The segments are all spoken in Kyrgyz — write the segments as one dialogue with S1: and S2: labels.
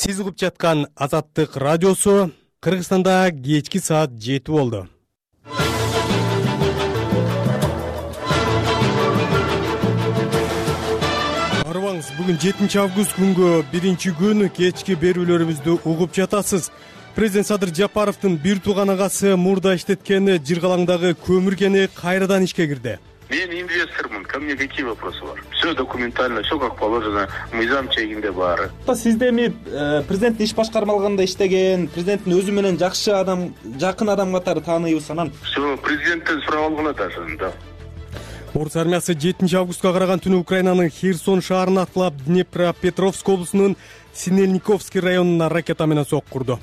S1: Сиз угуп жаткан Азаттык радиосу. Кыргызстанда кечки саат 7 болду. Арыбаңыз, бүгүн 7 август күнгө 1-күн кечки берүүлөрүбүздү угуп жатасыз. Президент Садыр Жапаровдун бир тууган агасы мурда иштеткен Жыргалаңдагы көмүр кени кайрадан ишке кирди.
S2: Мен инвестормун, ко мне какие вопросы бар? Все документально, все как положено, мыйзам чегинде баары.
S3: Сизде эми президенттин иш башкармалыгында иштеген, президенттин өзү менен жакшы адам, жакын адам катары тааныйбыз анан.
S2: Все, президенттен сурап алгыла даже, да.
S1: Орус армиясы 7 августка караган түнү Украинанын Херсон шаарын аткылап Днепропетровск облусунун Синельниковский районуна ракета менен сокку курду.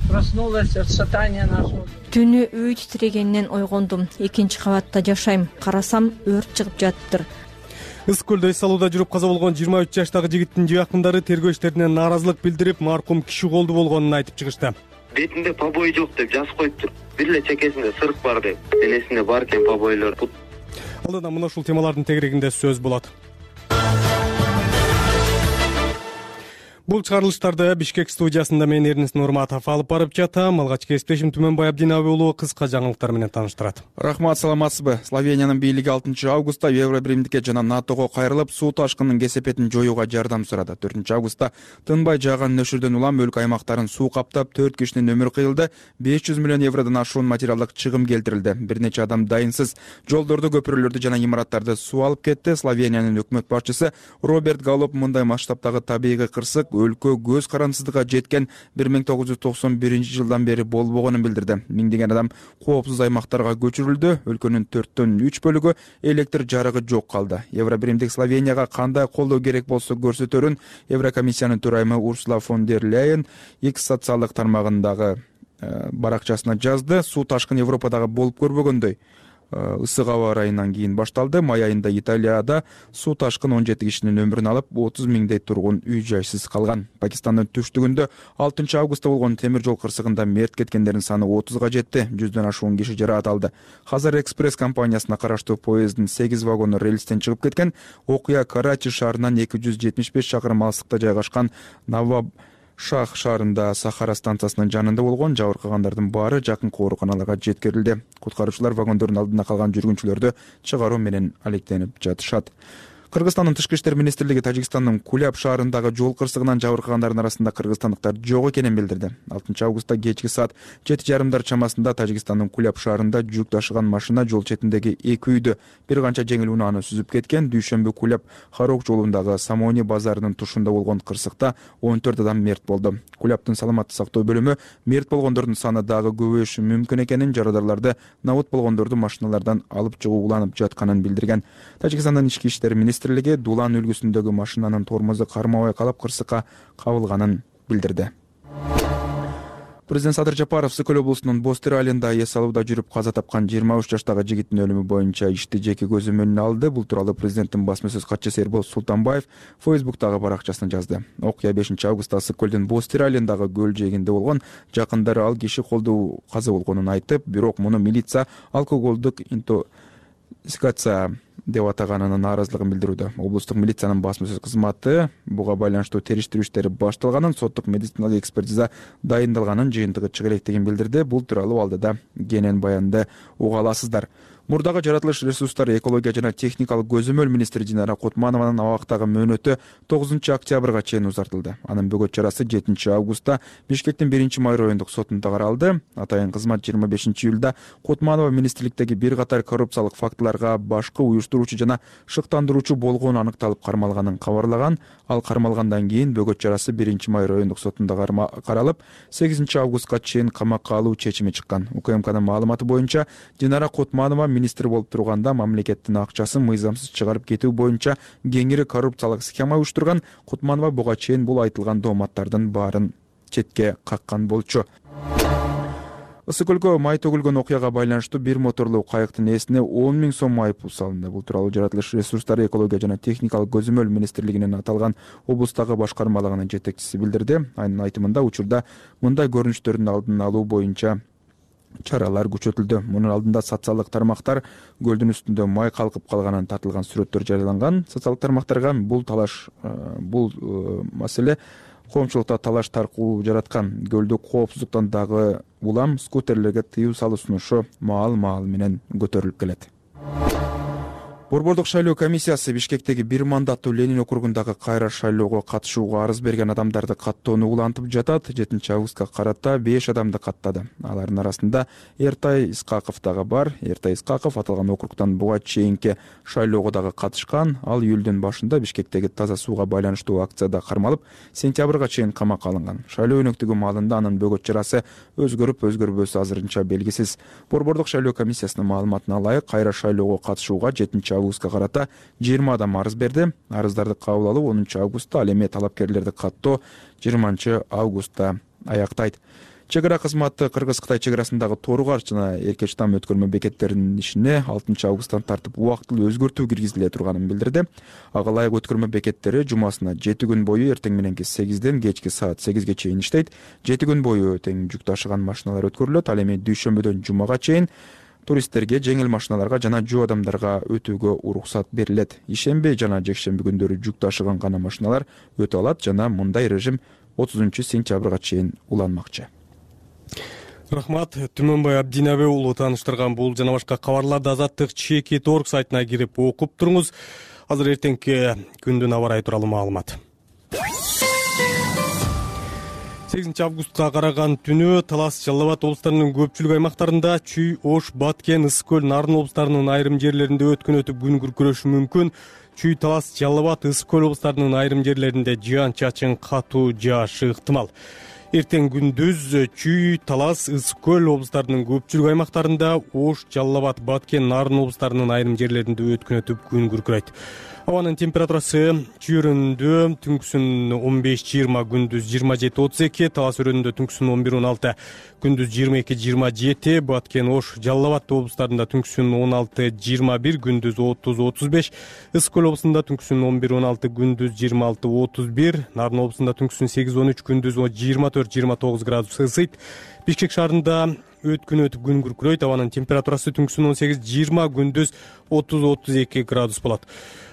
S4: Проснулась от шатания нашего.
S5: Түнү үй титирегенинен ойгондум. 2-кабатта жашайм. Карасам, өрт чыгып жатыптыр.
S1: Ысык көлдө эс салууда жүрүп каза болгон 23 жаштагы жигиттин жакындары тергөө иштерине нааразылык билдирип, маркум киши колду болгонун айтып чыгышты.
S6: Бетинде побой жок деп жазып коюптур. Бир эле чекесинде сырык бар деп. Денесинде бар экен побойлор.
S1: Алдыда мына ушул темалардын тегерегинде сөз болот. Бул чыгарылыштарды Бишкек студиясында мен Эрнест Нурматов алып барып жатам. Алгач кесиптешим Түмөнбай Абдинаби уулу кыска жаңылыктар менен тааныштырат.
S7: Рахмат, саламатсызбы? Словениянын бийлиги 6 августта Евробиримдикке жана НАТОго кайрылып, суу ташкынынын кесепетин жоюуга жардам сурады. 4 августта тынбай жааган нөшүрдөн улам өлкө аймактарын суу каптап, 4 кишинин өмүрү кыйылды, 500 миллион евродон ашуун материалдык чыгым келтирилди. Бир нече адам дайынсыз жолдорду, көпүрөлөрдү жана имараттарды суу алып кетти. Словениянын өкмөт башчысы Роберт Галоп мындай масштабтагы табигый кырсык өлкө көз карандысыздыкка жеткен 1991 жылдан бери болбогонун билдирди. Миңдеген адам коопсуз аймактарга көчүрүлдү. Өлкөнүн 4/3 бөлүгү электр жарыгы жок калды. Евробиримдик Словенияга кандай колдоо керек болсо көрсөтөрүн Еврокомиссиянын төрайымы Урсула фон дер Ляйен X социалдык тармагындагы баракчасына жазды. Суу ташкын Европадагы болуп көрбөгөндөй ысык аба ырайынан кийин башталды. Май айында Италияда суу ташкын 17 кишинин өмүрүн алып, 30 миңдей тургун үй жайсыз калган. Пакистандын түштүгүндө 6 августта болгон темир жол кырсыгында мерт кеткендердин саны 30га жетти. 100дөн ашуун киши жаракат алды. Хазар экспресс компаниясына караштуу поезддин 8 вагону рельстен чыгып кеткен. Окуя Карачи шаарынан 275 чакырым алыстыкта жайгашкан Шах шаарында Сахара станциясынын жанында болгон. Жабыркагандардын баары жакын ооруканаларга жеткирилди. Куткаруучулар вагондордун алдында калган жүргүнчүлөрдү чыгаруу менен алектенип жатышат. Кыргызстандын Тышкы иштер министрлиги Тажикстандын Куляб шаарындагы жол кырсыгынан жабыркагандардын арасында кыргызстандыктар жок экенин билдирди. 6 августта кечки саат 7:30 чамасында Тажикстандын Куляб шаарында жүк ташыган машина жол четиндеги 2 үйдү бир канча жеңил унааны сүзүп кеткен. Дүйшөмбү Куляб Харок жолундагы Самони базарынын тушунда болгон кырсыкта 14 адам мерт болду. Кулябдын саламаттык сактоо бөлүмү мерт болгондордун саны дагы көбөйүшү мүмкүн экенин, жарадарларды набыт болгондорду машиналардан алып чыгуу уланып жатканын билдирген. Тажикстандын ички иштер министрлиги Дулан үлгүсүндөгү машинанын тормозу кармабай калып кырсыкка кабылганын билдирди. Президент Садыр Жапаров Ысык көл облусунун Бостыр айылында эс алууда жүрүп каза тапкан 23 жаштагы жигиттин өлүмү боюнча ишти жеке көзөмөлүнө алды. Бул тууралуу президенттин басма сөз катчысы Эрбол Султанбаев Фейсбуктагы баракчасына жазды. Окуя 5 августта Ысык көлдүн Бостыр айылындагы көл жээгинде болгон. Жакындары ал киши колдуу каза болгонун айтып, бирок муну милиция алкоголдук интоксикация деп атаганынын нааразылыгын билдирүүдө. Облустук милициянын басма сөз кызматы буга байланыштуу териштирүү иштери башталганын, соттук медициналык экспертиза дайындалганын, жыйынтыгы чыга электигин билдирди. Бул тууралуу алдыда кенен баянды уга аласыздар. Мурдагы жаратылыш ресурстары, экология жана техникалык көзөмөл министри Динара Кутманованын абактагы мөөнөтү 9 октябрга чейин узартылды. Анын бөгөт чарасы 7 августта Бишкектин 1-май райондук сотунда каралды. Атайын кызмат 25 июлда Кутманова министрликтеги бир катар коррупциялык фактыларга башкы уюштуруучу жана шыктандыруучу болгону аныкталып кармалганын кабарлаган. Ал кармалгандан кийин бөгөт чарасы 1-май райондук сотунда каралып, 8 августка чейин камакка алуу чечими чыккан. УКМКнын маалыматы боюнча Динара Кутманова министр болуп турганда мамлекеттин акчасын мыйзамсыз чыгарып кетүү боюнча кеңири коррупциялык схема уюштурган. Кутманова буга чейин бул айтылган дооматтардын баарын четке каккан болчу. Ысык көлгө май төгүлгөн окуяга байланыштуу бир моторлуу кайыктын ээсине 10 000 сом айыппул салынды. Бул тууралуу жаратылыш ресурстары, экология жана техникалык көзөмөл министрлигинин аталган облустагы башкармалыгынын жетекчиси билдирди. Анын айтымында учурда мындай көрүнүштөрдүн алдын алуу боюнча чаралар күчөтүлдү. Мунун алдында социалдык тармактар көлдүн үстүндө май калкып калганын тартылган сүрөттөр жарыяланган. Социалдык тармактарга бул талаш, бул маселе коомчулукта талаш таркуу жараткан. Көлдүк коопсуздуктан дагы улам скутерлерге тыюу салуу сунушу маал менен көтөрүлүп келет. Борбордук шайлоо комиссиясы Бишкектеги бир мандаттуу Ленин округундагы кайра шайлоого катышууга арыз берген адамдарды каттоону улантып жатат. 7 августка карата 5 адамды каттады. Алардын арасында Эртай Исқақов дагы бар. Эртай Исқақов аталган округтан буга чейинки шайлоого дагы катышкан. Ал июлдун башында Бишкектеги таза сууга байланыштуу акцияда кармалып, сентябрга чейин камакка алынган. Шайлоо өнөктүгү маалында анын бөгөт жарасы өзгөрүпөсү азырынча белгисиз. Борбордук шайлоо комиссиясынын маалыматына ылайык, кайра шайлоого катышууга 7 августка карата 20 адам арыз берди. Арыздарды кабыл алуу 10 августта, ал эми талапкерлерди каттоо 20 августта аяктайт. Чек ара кызматы Кыргыз-Кытай чек арасындагы Торугаш жана Эркечтам өткөрмө бекеттеринин ишине 6 августтан тартып убактылуу өзгөртүү киргизиле турганын билдирди. Ага ылайык өткөрмө бекеттери жумасына 7 күн бою эртең мененки 8ден кечки саат 8ге чейин иштейт. 7 күн бою тең жүк ташыган машиналар өткөрүлөт. Ал эми дүйшөмбөдөн жумага чейин туристтерге, жеңил машиналарга жана жөө адамдарга өтүүгө уруксат берилет. Ишемби жана жекшемби күндөрү жүк ташыган гана машиналар өтө алат жана мындай режим 30 сентябрга чейин уланмакчы.
S1: Рахмат. Түмөнбай Абдинабе уулу тааныштырган бул жана башка кабарларды Азаттык ЧК.org сайтына кирип окуп туруңуз. Азыр эртеңки күндүн аба ырайы тууралуу маалымат. 8 августка караган түнү Талас, Жалал Абад облустарынын көпчүлүк аймактарында, Чүй, Ош, Баткен, Ысык көл, Нарын облустарынын айрым жерлеринде өткөн күн күркүрөшү мүмкүн. Чүй, Талас, Жалал Абад, Ысык көл облустарынын айрым жерлеринде жаан-чачын катуу жаашы ыктымал. Эртең күндүз Чүй, Талас, Ысык көл облустарынын көпчүлүк аймактарында, Ош, Жалал Абад, Баткен, Нарын облустарынын айрым жерлеринде өткөн күн күркүрөйт. Абанын температурасы Чүй өрөөнүндө түнкүсүн 15-20, күндүз 27-32, Талас өрөөнүндө түнкүсүн 11-16, күндүз 22-27, Баткен, Ош, Жалал Абад облустарында түнкүсүн 16-21, күндүз 30-35, Ысык көл облусунда түнкүсүн 11-16, күндүз 26-31, Нарын облусунда түнкүсүн 8-13, күндүз 24-29 градус ысыйт. Бишкек шаарында өткөн күн күркүрөйт. Абанын температурасы түнкүсүн 18-20, күндүз 30-32 градус болот.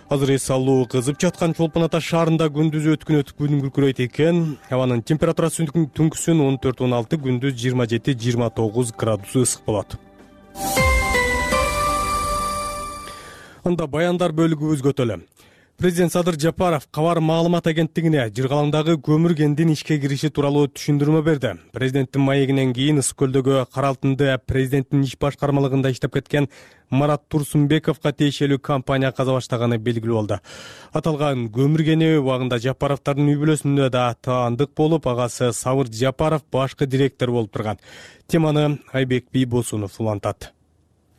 S1: Азыр эс алуу кызып жаткан Чолпон Ата шаарында күндүз өткөн күн күркүрөйт экен. Абанын температурасы түнкүсүн 14-16, күндүз 27-29 градус ысык болот. Анда баяндар бөлүгүбүз көтөлө. Президент Садыр Жапаров Кабар маалымат агенттигине Жыргалаңдагы көмүр кендин ишке кириши тууралуу түшүндүрмө берди. Президенттин маегинен кийин Ысык көлдөгү Каралтынды президенттин иш башкармалыгында иштеп кеткен Марат Турсунбековго тиешелүү компания каза баштаганы белгилүү болду. Аталган көмүр кени убагында Жапаровдардын үй бүлөсүндө да таандык болуп, агасы Сабыр Жапаров башкы директор болуп турган. Теманы Айбек Бийбосунов улантат.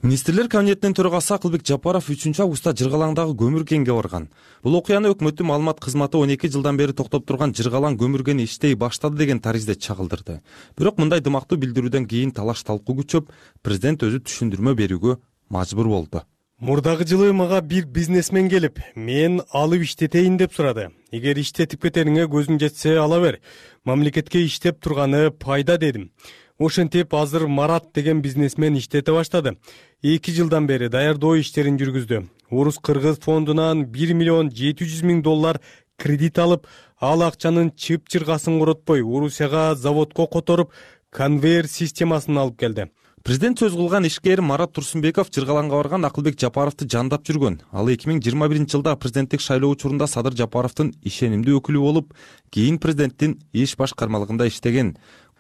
S8: Министрлер кабинетинин төрагасы Акылбек Жапаров 3 августта Жыргалаңдагы көмүр кенге барган. Бул окуяны өкмөттүн маалымат кызматы 12 жылдан бери токтоп турган Жыргалаң көмүр кени иштей баштады деген таризде чагылдырды. Бирок мындай дымактуу билдирүүдөн кийин талаш талкуу күчөп, президент өзү түшүндүрмө берүүгө мажбур болду.
S1: Мурдагы жылы мага бир бизнесмен келип, мен алып иштетейин деп сурады. Эгер иштетип кетериңе көзүң жетсе ала бер. Мамлекетке иштеп турганы пайда дедим. Ошентип азыр Марат деген бизнесмен иштете баштады. 2 жылдан бери даярдоо иштерин жүргүздү. Орус-Кыргыз фондунан 1 миллион 700 миң доллар кредит алып, ал акчанын чып-чыргасын коротпой, Орусияга заводко которуп, конвейер системасын алып келди.
S8: Президент сөз кылган ишкер Марат Турсунбеков Жыргалаңга барган Акылбек Жапаровду жандап жүргөн. Ал 2021 жылда президенттик шайлоо учурунда Садыр Жапаровдун ишенимдүү өкүлү болуп, кийин президенттин иш башкармалыгында иштеген.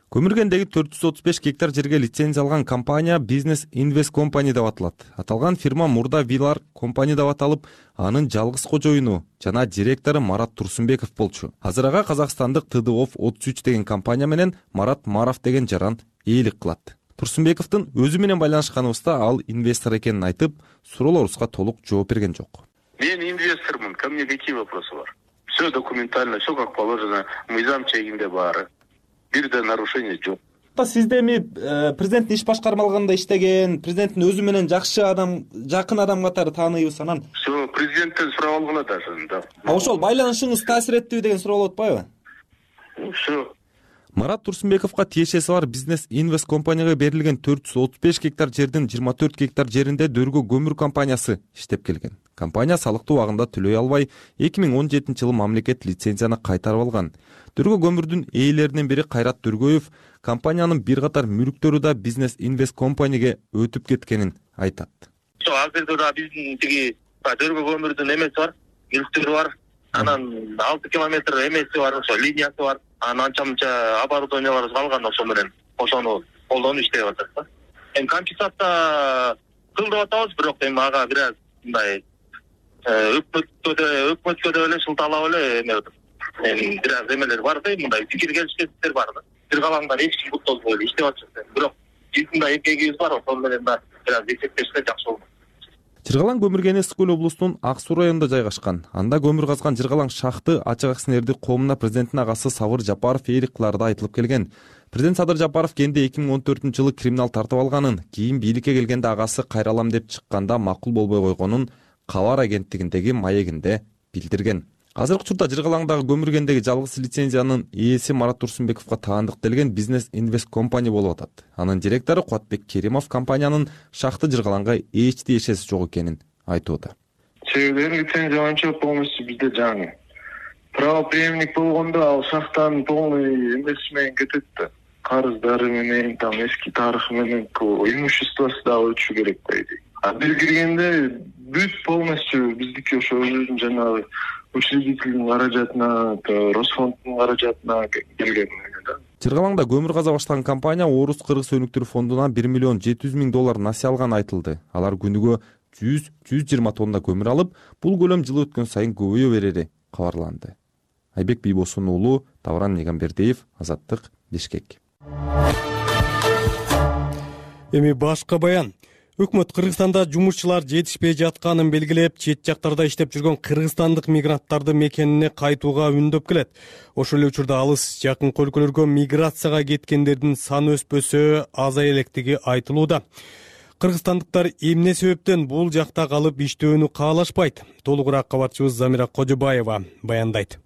S8: Көмүргендеги 435 гектар жерге лицензия алган компания Business Invest Company деп аталат. Аталган фирма мурда Вилар компания деп аталып, анын жалгыз кожоюну жана директору Марат Турсунбеков болчу. Азыр ага Казакстандык ТДОФ 33 деген компания менен Марат Маров деген жаран ээлик кылат. Турсунбековдун өзү менен байланышканыбызда ал инвестор экенин айтып, суроолорубузга толук жооп берген жок.
S2: Мен инвестормун, ко мне какие вопросы бар? Все документально, все как положено, мыйзам чегинде баары. Бирде нарушение жок.
S3: Сизде эми президенттин иш башкармалыгында иштеген, президенттин өзү менен жакшы адам, жакын адам катары тааныйбыз анан.
S2: Все, президенттен сурап алгыла даже, да.
S3: Ошол байланышыңыз таасир эттиби деген суроо болуп атпайбы?
S2: Все.
S8: Марат Турсунбековго тиешеси бар Business Invest компанияга берилген 435 гектар жердин 24 гектар жеринде Дөргө көмүр компаниясы иштеп келген. Компания салыкты убагында төлөй албай 2017-жылы мамлекет лицензияны кайтарып алган. Дөргө көмүрдүн ээлеринен бири Кайрат Дөргөев компаниянын бир катар мүлктөрү да Business Invest Company'ге өтүп кеткенин айтат.
S2: Азырда да биздин тиги Дөргө көмүрдүн эмеси бар, мүлктөрү бар. Анан 6 километр эмеси бар, ошо линиясы бар. Анан анча-мынча оборудованиялар калган, ошо менен ошону колдонуп иштеп атат да. Эми компенсация кыл деп атабыз, бирок эми ага бир аз мындай өкмөткө да эле шылталап эле эме эми бир аз эмелер бар да, мындай пикир келишсиздиктер бар да. Жыргалаңдан эч ким буттолбой эле иштеп атышат. Бирок биздин да эмгегибиз бар, ошол менен да бир аз эсептешсе жакшы болот.
S8: Жыргалаң көмүр кенеси Ысык көл облусунун Ак Суу районунда жайгашкан. Анда көмүр казган Жыргалаң шахты ачык акционердик коомуна президенттин агасы Сабыр Жапаров ээлик кылары да айтылып келген. Президент Садыр Жапаров кенде 2014-жылы криминал тартып алганын, кийин бийликке келгенде агасы кайралам деп чыкканда макул болбой койгонун Кабар агенттигиндеги маегинде билдирген. Азыркы учурда Жыргалаңдагы көмүр кендеги жалгыз лицензиянын ээси Марат Турсунбековго таандыкталган Business Invest Company болуп атат. Анын директору Куатбек Керимов компаниянын шахты Жыргалаңга эч тиешеси жок экенин айтууда.
S9: Себеби лицензия боюнча полностью бизде жаңы. Правоприемник болгондо ал шахтанын полный эмеси менен кетет да. Карыздары менен, там эски тарыхы менен имуществосы да өтүшү керек да. А бир киргенде бүт полностью биздики ошо өзүнүн жанагы учредительдин каражатына, Росфонддун каражатына келген да.
S8: Жыргалаңда көмүр каза баштаган компания Орус Кыргыз өнүктүрүү фондунан $1,700,000 насыя алган айтылды. Алар күнүгө 100-120 тонна көмүр алып, бул көлөм жыл өткөн сайын көбөйө берери кабарланды. Айбек Бийбосун уулу, Тавран Негамбердиев, Азаттык, Бишкек.
S1: Эми башка баян. Өкмөт Кыргызстанда жумушчулар жетишпей жатканын белгилеп, чет жактарда иштеп жүргөн кыргызстандык мигранттарды мекенине кайтууга үндөп келет. Ошол эле учурда алыс жакын өлкөлөргө миграцияга кеткендердин саны өспөсө, азая электиги айтылууда. Кыргызстандыктар эмне себептен бул жакта калып иштөөнү каалашпайт? Толугураак кабарчыбыз Замира Кожобаева баяндайт.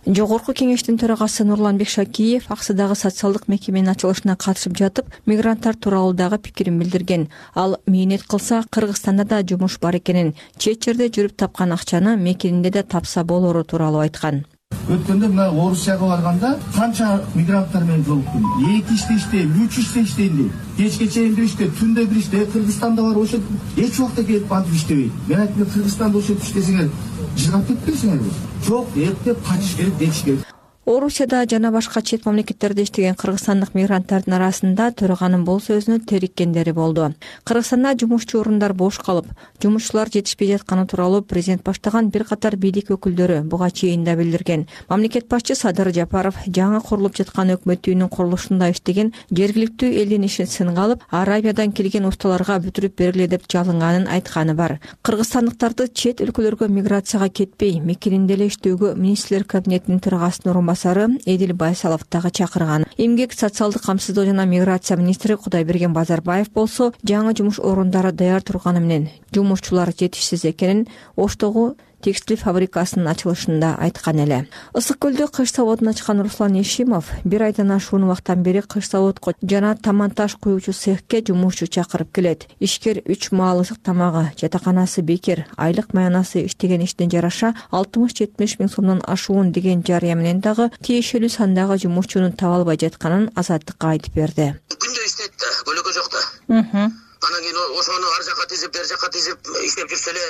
S5: Жогорку кеңештин төрагасы Нурлан Бекшакиев Аксыдагы социалдык мекеменин ачылышына катышып жатып, мигранттар тууралуу дагы пикирин билдирген. Ал мээнет кылса, Кыргызстанда да жумуш бар экенин, чет жерде жүрүп тапкан акчаны мекенинде да тапса болору тууралуу айткан.
S10: Өткөндө мына Орусияга барганда канча мигранттар менен жолуктум. 2 иште иштейм, 3 иште иштейм дейт. Кечке чейин бир иште, түндө бир иште. Кыргызстанда бар ошо эч убакта келип антип иштебейт. Мен айттым, Кыргызстанда ошо иштесеңер, жыргап кетпейсиңерби? Жок, эптеп качыш керек, кетиш керек.
S5: Орусияда жана башка чет мамлекеттерде иштеген кыргызстандык мигранттардын арасында төраганын бул сөзүнө териккендери болду. Кыргызстанда жумушчу орундар бош калып, жумушчулар жетишпей жатканы тууралуу президент баштаган бир катар бийлик өкүлдөрү буга чейин да билдирген. Мамлекет башчы Садыр Жапаров жаңы курулуп жаткан өкмөт үйүнүн курулушунда иштеген жергиликтүү элдин ишин сынга алып, Арабиядан келген усталарга бүтүрүп бергиле деп жалынганын айтканы бар. Кыргызстандыктарды чет өлкөлөргө миграцияга кетпей, мекенинде эле иштөөгө министрлер кабинетинин төрагасынын Эдил Байсалов дагы чакырган. Эмгек, социалдык камсыздоо жана миграция министри Кудайберген Базарбаев болсо, жаңы жумуш орундары даяр турганы менен жумушчулар жетишсиз экенин Оштогу текстиль фабрикасынын ачылышында айткан эле. Ысык көлдө кыш заводун ачкан Руслан Ешимов бир айдан ашуун убакыттан бери кыш заводко жана таманташ куюучу цехке жумушчу чакырып келет. Ишкер 3 маал ысык тамагы, жатаканасы бекер, айлык маянасы иштеген иштин жараша 60-70 миң сомдон ашуун деген жарыя менен дагы тиешелүү сандагы жумушчунун таба албай жатканын Азаттыкка айтып берди.
S11: Күндө иштейт да, көлөкө жок да. Анан кийин ошону ар жака тизип, бер жака тизип иштеп жүрсө эле,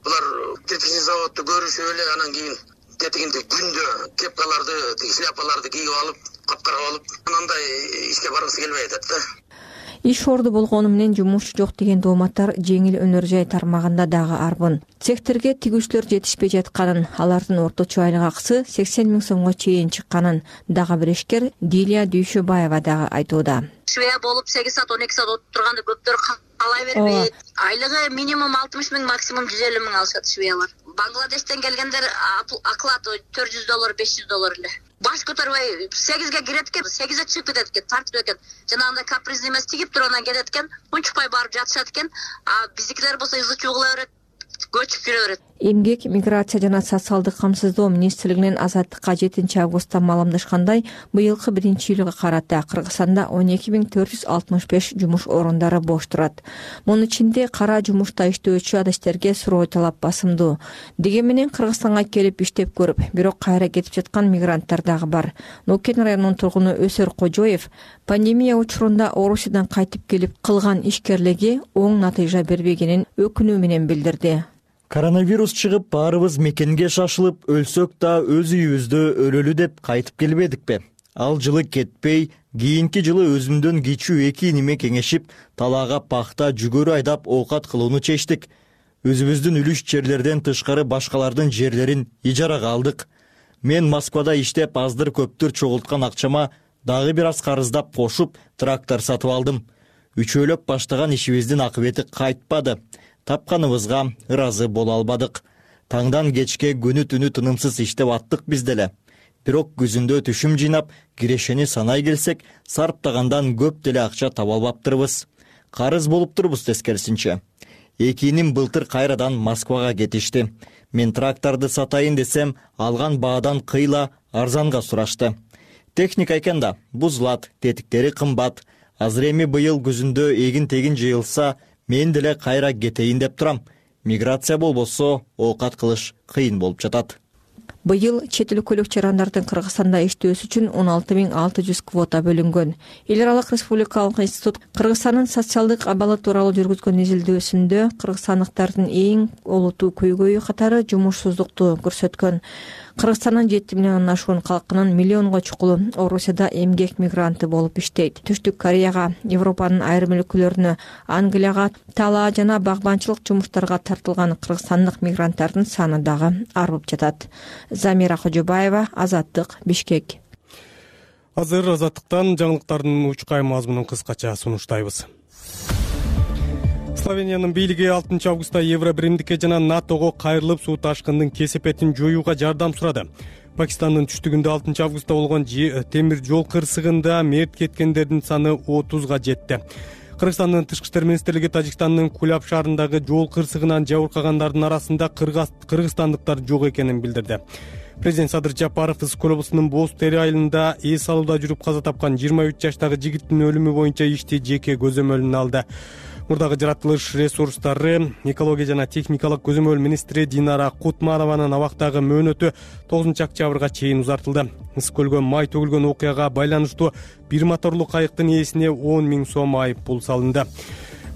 S11: булар кирпичный заводду көрүшүп эле, анан кийин тетигинде күндө кепкаларды, шляпаларды кийип алып, капкара алып, андай ишке баргысы келбей атат да.
S5: Иш орду болгону менен жумушчу жок деген дооматтар жеңил өнөр жай тармагында дагы арбын. Цехтерге тигүүчүлөр жетишпей жатканын, алардын орточо айлык акысы 80 миң сомго чейин чыкканын дагы бир ишкер Дилия Дүйшөбаева дагы айтууда.
S12: Швея болуп 8 саат 12 саат отуруп турганда көптөр калай бербейт. Айлыгы минимум 60 миң, максимум 150 миң алышат швеялар. Бангладештен келгендер оклад $400, $500 эле. Баш көтөрбөй 8ге кирет экен, 8ге чыгып кетет экен, тартып экен. Жанагындай капризный эмес, тигип туруп анан кетет экен, унчукпай барып жатышат экен. А биздикилер болсо ызы чуу кыла берет. көчүп жүрө берет.
S5: Эмгек, миграция жана социалдык камсыздоо министрлигинин Азаттыкка 7-августта маалымдашкандай, быйылкы 1-июлга карата Кыргызстанда 12.465 жумуш орундары бош турат. Мунун ичинде кара жумушта иштөөчү адаштерге суроо талап басымдуу. Дегенменен Кыргызстанга келип иштеп көрүп, бирок кайра кетип жаткан мигранттар дагы бар. Нукен районунун тургуну Өсөр Кожоев пандемия учурунда Орусиядан кайтып келип кылган ишкерлиги оң натыйжа бербегенин өкүнүү менен билдирди.
S13: Коронавирус чыгып, баарыбыз мекенге шашылып, өлсөк да өз үйүбүздө өлөлү деп кайтып келбедикпи? Ал жылы кетпей, кийинки жылы өзүмдөн кичүү 2 иниме кеңешип, талаага пахта, жүгөрү айдап оокат кылууну чечтик. Өзүбүздүн үлүш жерлерден тышкары башкалардын жерлерин ижарага алдык. Мен Москвада иштеп, аздыр көптүр чогулткан акчама дагы бир аз карыздап кошуп, трактор сатып алдым. Үчөөлөп баштаган ишибиздин акыбети кайтпады. Тапканыбызга ыраазы боло албадык. Таңдан кечке күнү-түнү тынымсыз иштеп аттык биз деле. Бирок күзүндө түшүм жыйнап, кирешени санай келсек, сарптагандан көп деле акча таба албаптырбыз. Карыз болуп турбуз тескерисинче. 2 иним былтыр кайрадан Москвага кетишти. Мен тракторду сатайын десем, алган баадан кыйла арзанга сурашты. Техника экен да, бузулат, тетиктери кымбат. Азыр эми быйыл күзүндө эгин-тегин жыйылса, мен деле кайра кетейин деп турам. Миграция болбосо, оокат кылыш кыйын болуп жатат.
S5: Быйыл чет өлкөлүк жарандардын Кыргызстанда иштөөсү үчүн 16.600 квота бөлүнгөн. Эл аралык республикалык институт Кыргызстандын социалдык абалы тууралуу жүргүзгөн изилдөөсүндө кыргызстандыктардын эң олуттуу көйгөйү катары жумушсуздукту көрсөткөн. Кыргызстандын 7 миллиондон ашуун калкынын миллионго чукулу Орусияда эмгек мигранты болуп иштейт. Түштүк Кореяга, Европанын айрым өлкөлөрүнө, Англияга талаа жана багбанчылык жумуштарга тартылган кыргызстандык мигранттардын саны дагы арбып жатат. Замира Кожобаева, Азаттык, Бишкек.
S1: Азыр Азаттыктан жаңылыктардын учкай мазмунун кыскача сунуштайбыз. Словениянын бийлиги 6 августта Евробиримдикке жана НАТОго кайрылып, суу ташкындын кесепетин жоюуга жардам сурады. Пакистандын түштүгүндө 6 августта болгон темир жол кырсыгында мерт кеткендердин саны 30га жетти. Кыргызстандын тышкы иштер министрлиги Тажикстандын Куляб шаарындагы жол кырсыгынан жабыркагандардын арасында кыргызстандыктар жок экенин билдирди. Президент Садыр Жапаров Ысык облусунун Боз Тери айылында эс алууда жүрүп каза тапкан 23 жаштагы жигиттин өлүмү боюнча ишти жеке көзөмөлүнө алды. Мурдагы жаратылыш ресурстары, экология жана техникалык көзөмөл министри Динара Кутманованын абактагы мөөнөтү 9 октябрга чейин узартылды. Ысык көлгө май төгүлгөн окуяга байланыштуу бир моторлуу кайыктын ээсине 10 000 сом айып пул салынды.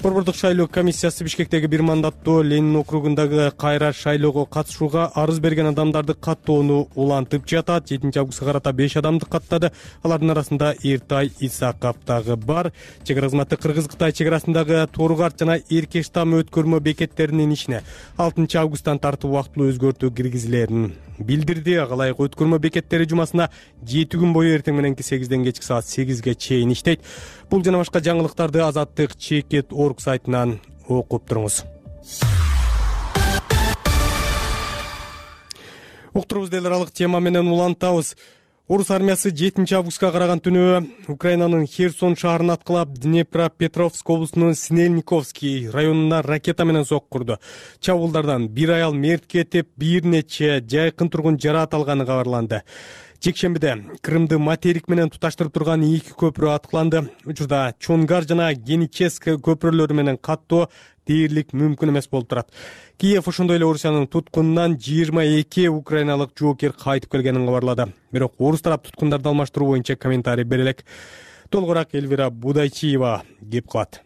S1: Борбордук шайлоо комиссиясы Бишкектеги бир мандаттуу Ленин округундагы кайра шайлоого катышууга арыз берген адамдарды каттоону улантып жатат. 7 августка карата 5 адамды каттады. Алардын арасында Эртай Исаков дагы бар. Чек ара кызматы Кыргыз-Кытай чек арасындагы Торгарт жана Эркештам өткөрмө бекеттеринин ишине 6 августтан тартып убактылуу өзгөртүү киргизилерин билдирди. Ага ылайык өткөрмө бекеттери жумасына 7 күн бою эртең мененки 8ден кечки саат 8ге чейин иштейт. Бул жана башка жаңылыктарды Азаттык Чекет.org сайтынан окуп туруңуз. Уктурубузду эл аралык тема менен улантабыз. Орус армиясы 7 августка караган түнү Украинанын Херсон шаарын аткылап, Днепропетровск облусунун Снельниковский районуна ракета менен сок курду. Чабуулдардан бир аял мерт кетип, бир нече жайкын тургун жараат алганы кабарланды. Жекшембиде Крымды материк менен туташтырып турган 2 көпүрө аткыланды. Учурда Чонгар жана Геническ көпүрөлөрү менен каттоо дээрлик мүмкүн эмес болуп турат. Киев ошондой эле Орусиянын туткунунан 22 украиналык жоокер кайтып келгенин кабарлады. Бирок орус тарап туткундарды алмаштыруу боюнча комментарий бере элек. Толугураак Эльвира Будайчиева кеп кылат.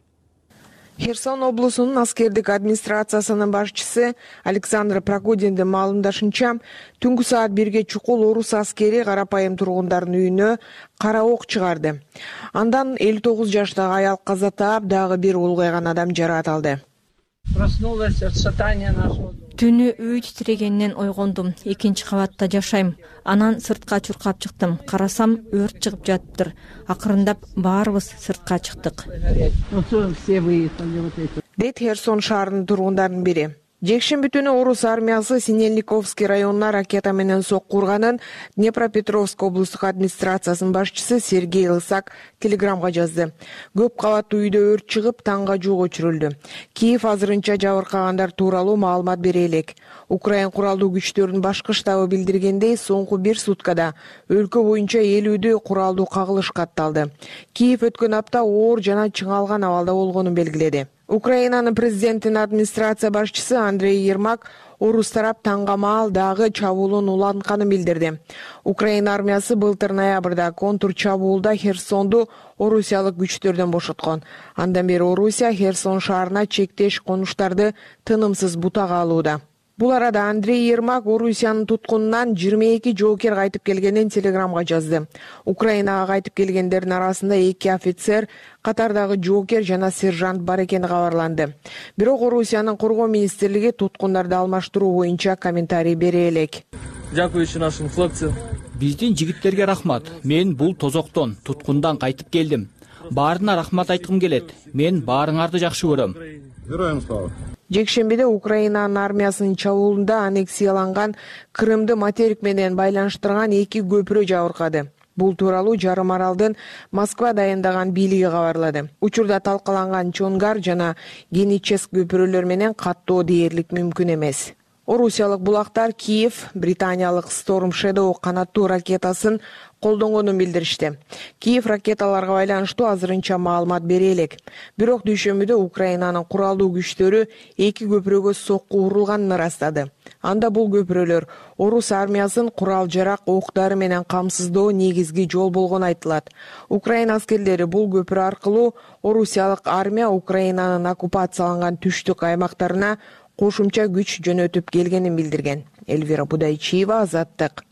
S14: Херсон облусунун аскердик администрациясынын башчысы Александр Прокудиндин маалымдашынча, түнкү саат 1ге чукул орус аскери карапайым тургундардын үйүнө кара ок чыгарды. Андан 59 жаштагы аял каза таап, дагы бир улгайган адам жараат алды.
S5: Түнү үй титирегенинен ойгондум. 2-кабатта жашайм. Анан сыртка чуркап чыктым. Карасам, өрт чыгып жатыптыр. Акырындап баарыбыз сыртка чыктык.
S14: Дейт Херсон шаарынын тургундарынын бири. Жекшемби түнү орус армиясы Синельниковский районуна ракета менен сокку урганын Днепропетровск облустук администрациясынын башчысы Сергей Лысак телеграмга жазды. Көп кабаттуу үйдө өрт чыгып, таңга жук өчүрүлдү. Киев азырынча жабыркагандар тууралуу маалымат бере элек. Украин куралдуу күчтөрүнүн башкы штабы билдиргендей, соңку 1 суткада өлкө боюнча 50 куралдуу кагылыш катталды. Киев өткөн апта оор жана чыңалган абалда болгонун белгиледи. Украинанын президентинин администрация башчысы Андрей Ермак орус тарап таңга маал дагы чабуулун улантканын билдирди. Украин армиясы былтыр ноябрда контур чабуулда Херсонду орусиялык күчтөрдөн бошоткон. Андан бери Орусия Херсон шаарына чектеш конуштарды тынымсыз бутага алууда. Бул арада Андрей Ермак Орусиянын туткунунан 22 жоокер кайтып келгенин телеграмга жазды. Украинага кайтып келгендердин арасында 2 офицер, катардагы жоокер жана сержант бар экени кабарланды. Бирок Орусиянын коргоо министрлиги туткундарды алмаштыруу боюнча комментарий бере элек.
S15: Биздин жигиттерге рахмат. Мен бул тозоктон, туткундан кайтып келдим. Баарына рахмат айткым келет. Мен баарыңарды жакшы көрөм.
S14: Героям слава. Жекшембиде Украинанын армиясынын чабуулунда аннексияланган Крымды материк менен байланыштырган 2 көпүрө жабыркады. Бул тууралуу жарым аралдын Москва дайындаган бийлиги кабарлады. Учурда талкаланган Чонгар жана Геническ көпүрөлөр менен каттоо дээрлик мүмкүн эмес. Орусиялык булактар Киев британиялык Storm Shadow канаттуу ракетасын колдонгонун билдиришти. Киев ракеталарга байланыштуу азырынча маалымат бере элек. Бирок дүйшөмбүдө Украинанын куралдуу күчтөрү 2 көпүрөгө сокку урулганын ырастады. Анда бул көпүрөлөр орус армиясын курал-жарак, ок-дары менен камсыздоо негизги жол болгону айтылат. Украин аскерлери бул көпүрө аркылуу орусиялык армия Украинанын оккупацияланган түштүк аймактарына кошумча күч жөнөтүп келгенин билдирген. Эльвира Будайчиева, Азаттык.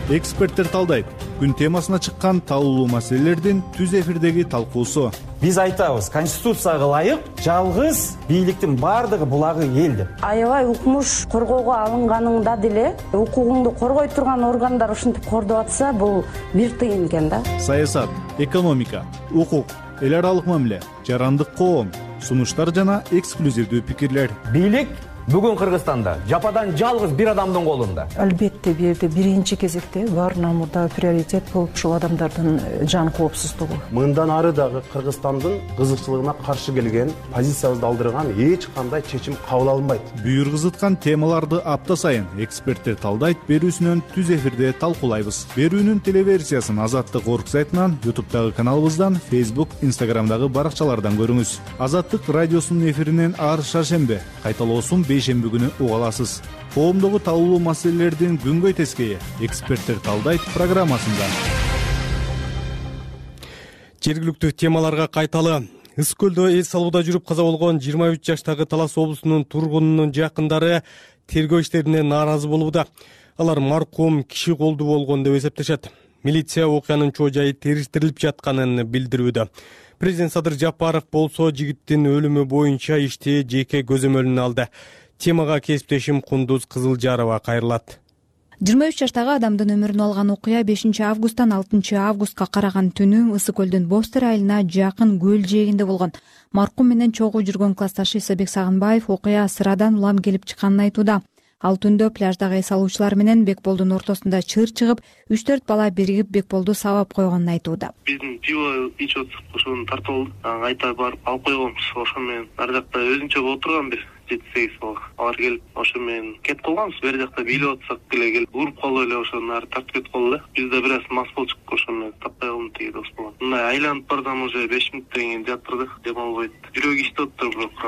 S16: Эксперттер талдайт. Күн темасына чыккан талуулуу маселелердин түз эфирдеги талкуусу.
S17: Биз айтабыз, конституцияга ылайык жалгыз бийликтин бардыгы булагы эл деп.
S18: Аябай укмуш коргоого алынганыңда деле укугуңду коргой турган органдар ушинтип кордоп атса, бул бир тыйын экен да.
S16: Саясат, экономика, укук, эл аралык мамиле, жарандык коом, сунуштар жана эксклюзивдүү пикирлер.
S17: Бийлик бүгүн Кыргызстанда жападан жалгыз бир адамдын колунда.
S19: Албетте бул жерде биринчи кезекте баарынан мурда приоритет болуп ушул адамдардын жан коопсуздугу.
S20: Мындан ары дагы Кыргызстандын кызыкчылыгына каршы келген, позициябызды алдырган эч кандай чечим кабыл алынбайт.
S16: Бүйүр кызыткан темаларды апта сайын эксперттер талдайт берүүсүнөн түз эфирде талкуулайбыз. Берүүнүн телеверсиясын Азаттык орг сайтынан, YouTube'дагы каналыбыздан, Facebook, Instagram'дагы баракчалардан көрүңүз. Азаттык радиосунун эфиринен ар шаршембе, кайталоосун бейшемби күнү уга аласыз. Коомдогу талуулуу маселелердин күнгөй тескейи эксперттер талдайт программасында.
S1: Жергиликтүү темаларга кайталы. Ыс көлдө эс алууда жүрүп каза болгон 23 жаштагы Талас облусунун тургунунун жакындары тергөө иштерине нааразы болууда. Алар маркум киши колдуу болгон деп эсептешет. Милиция окуянын чоо жайы териштирилип жатканын билдирүүдө. Президент Садыр Жапаров болсо жигиттин өлүмү боюнча ишти жеке көзөмөлүнө алды. Темага кесиптешим Кундуз Кызылжарова кайрылат.
S21: 23 жаштагы адамдын өмүрүн алган окуя 5 августтан 6 августка караган түнү Ысык көлдүн Бостер айылына жакын көл жээгинде болгон. Маркум менен чогуу жүргөн классташы Исабек Сагынбаев окуя сырадан улам келип чыкканын айтууда. Ал түндө пляждагы эс алуучулар менен Бекболдун ортосунда чыр чыгып, 3-4 бала биригип Бекболду сабап койгонун айтууда.
S9: Биздин пиво ичип атсак, ошону тартып алдык. Айта барып алып койгонбуз. Ошо менен ар жакта өзүнчө отурган бир 7-8 бала. Алар келип, ошо менен кетип калганбыз. Бери жакта бийлеп атсак деле келип, уруп калып эле ошонун ары тартып кетип калды. Биз да бир аз мас болчук, ошо менен таппай калдым тиги дос балам. Мындай айланып бардым уже 5 мүнөттөн кийин жатырдык, дем албайт. Жүрөк иштеп атты, бирок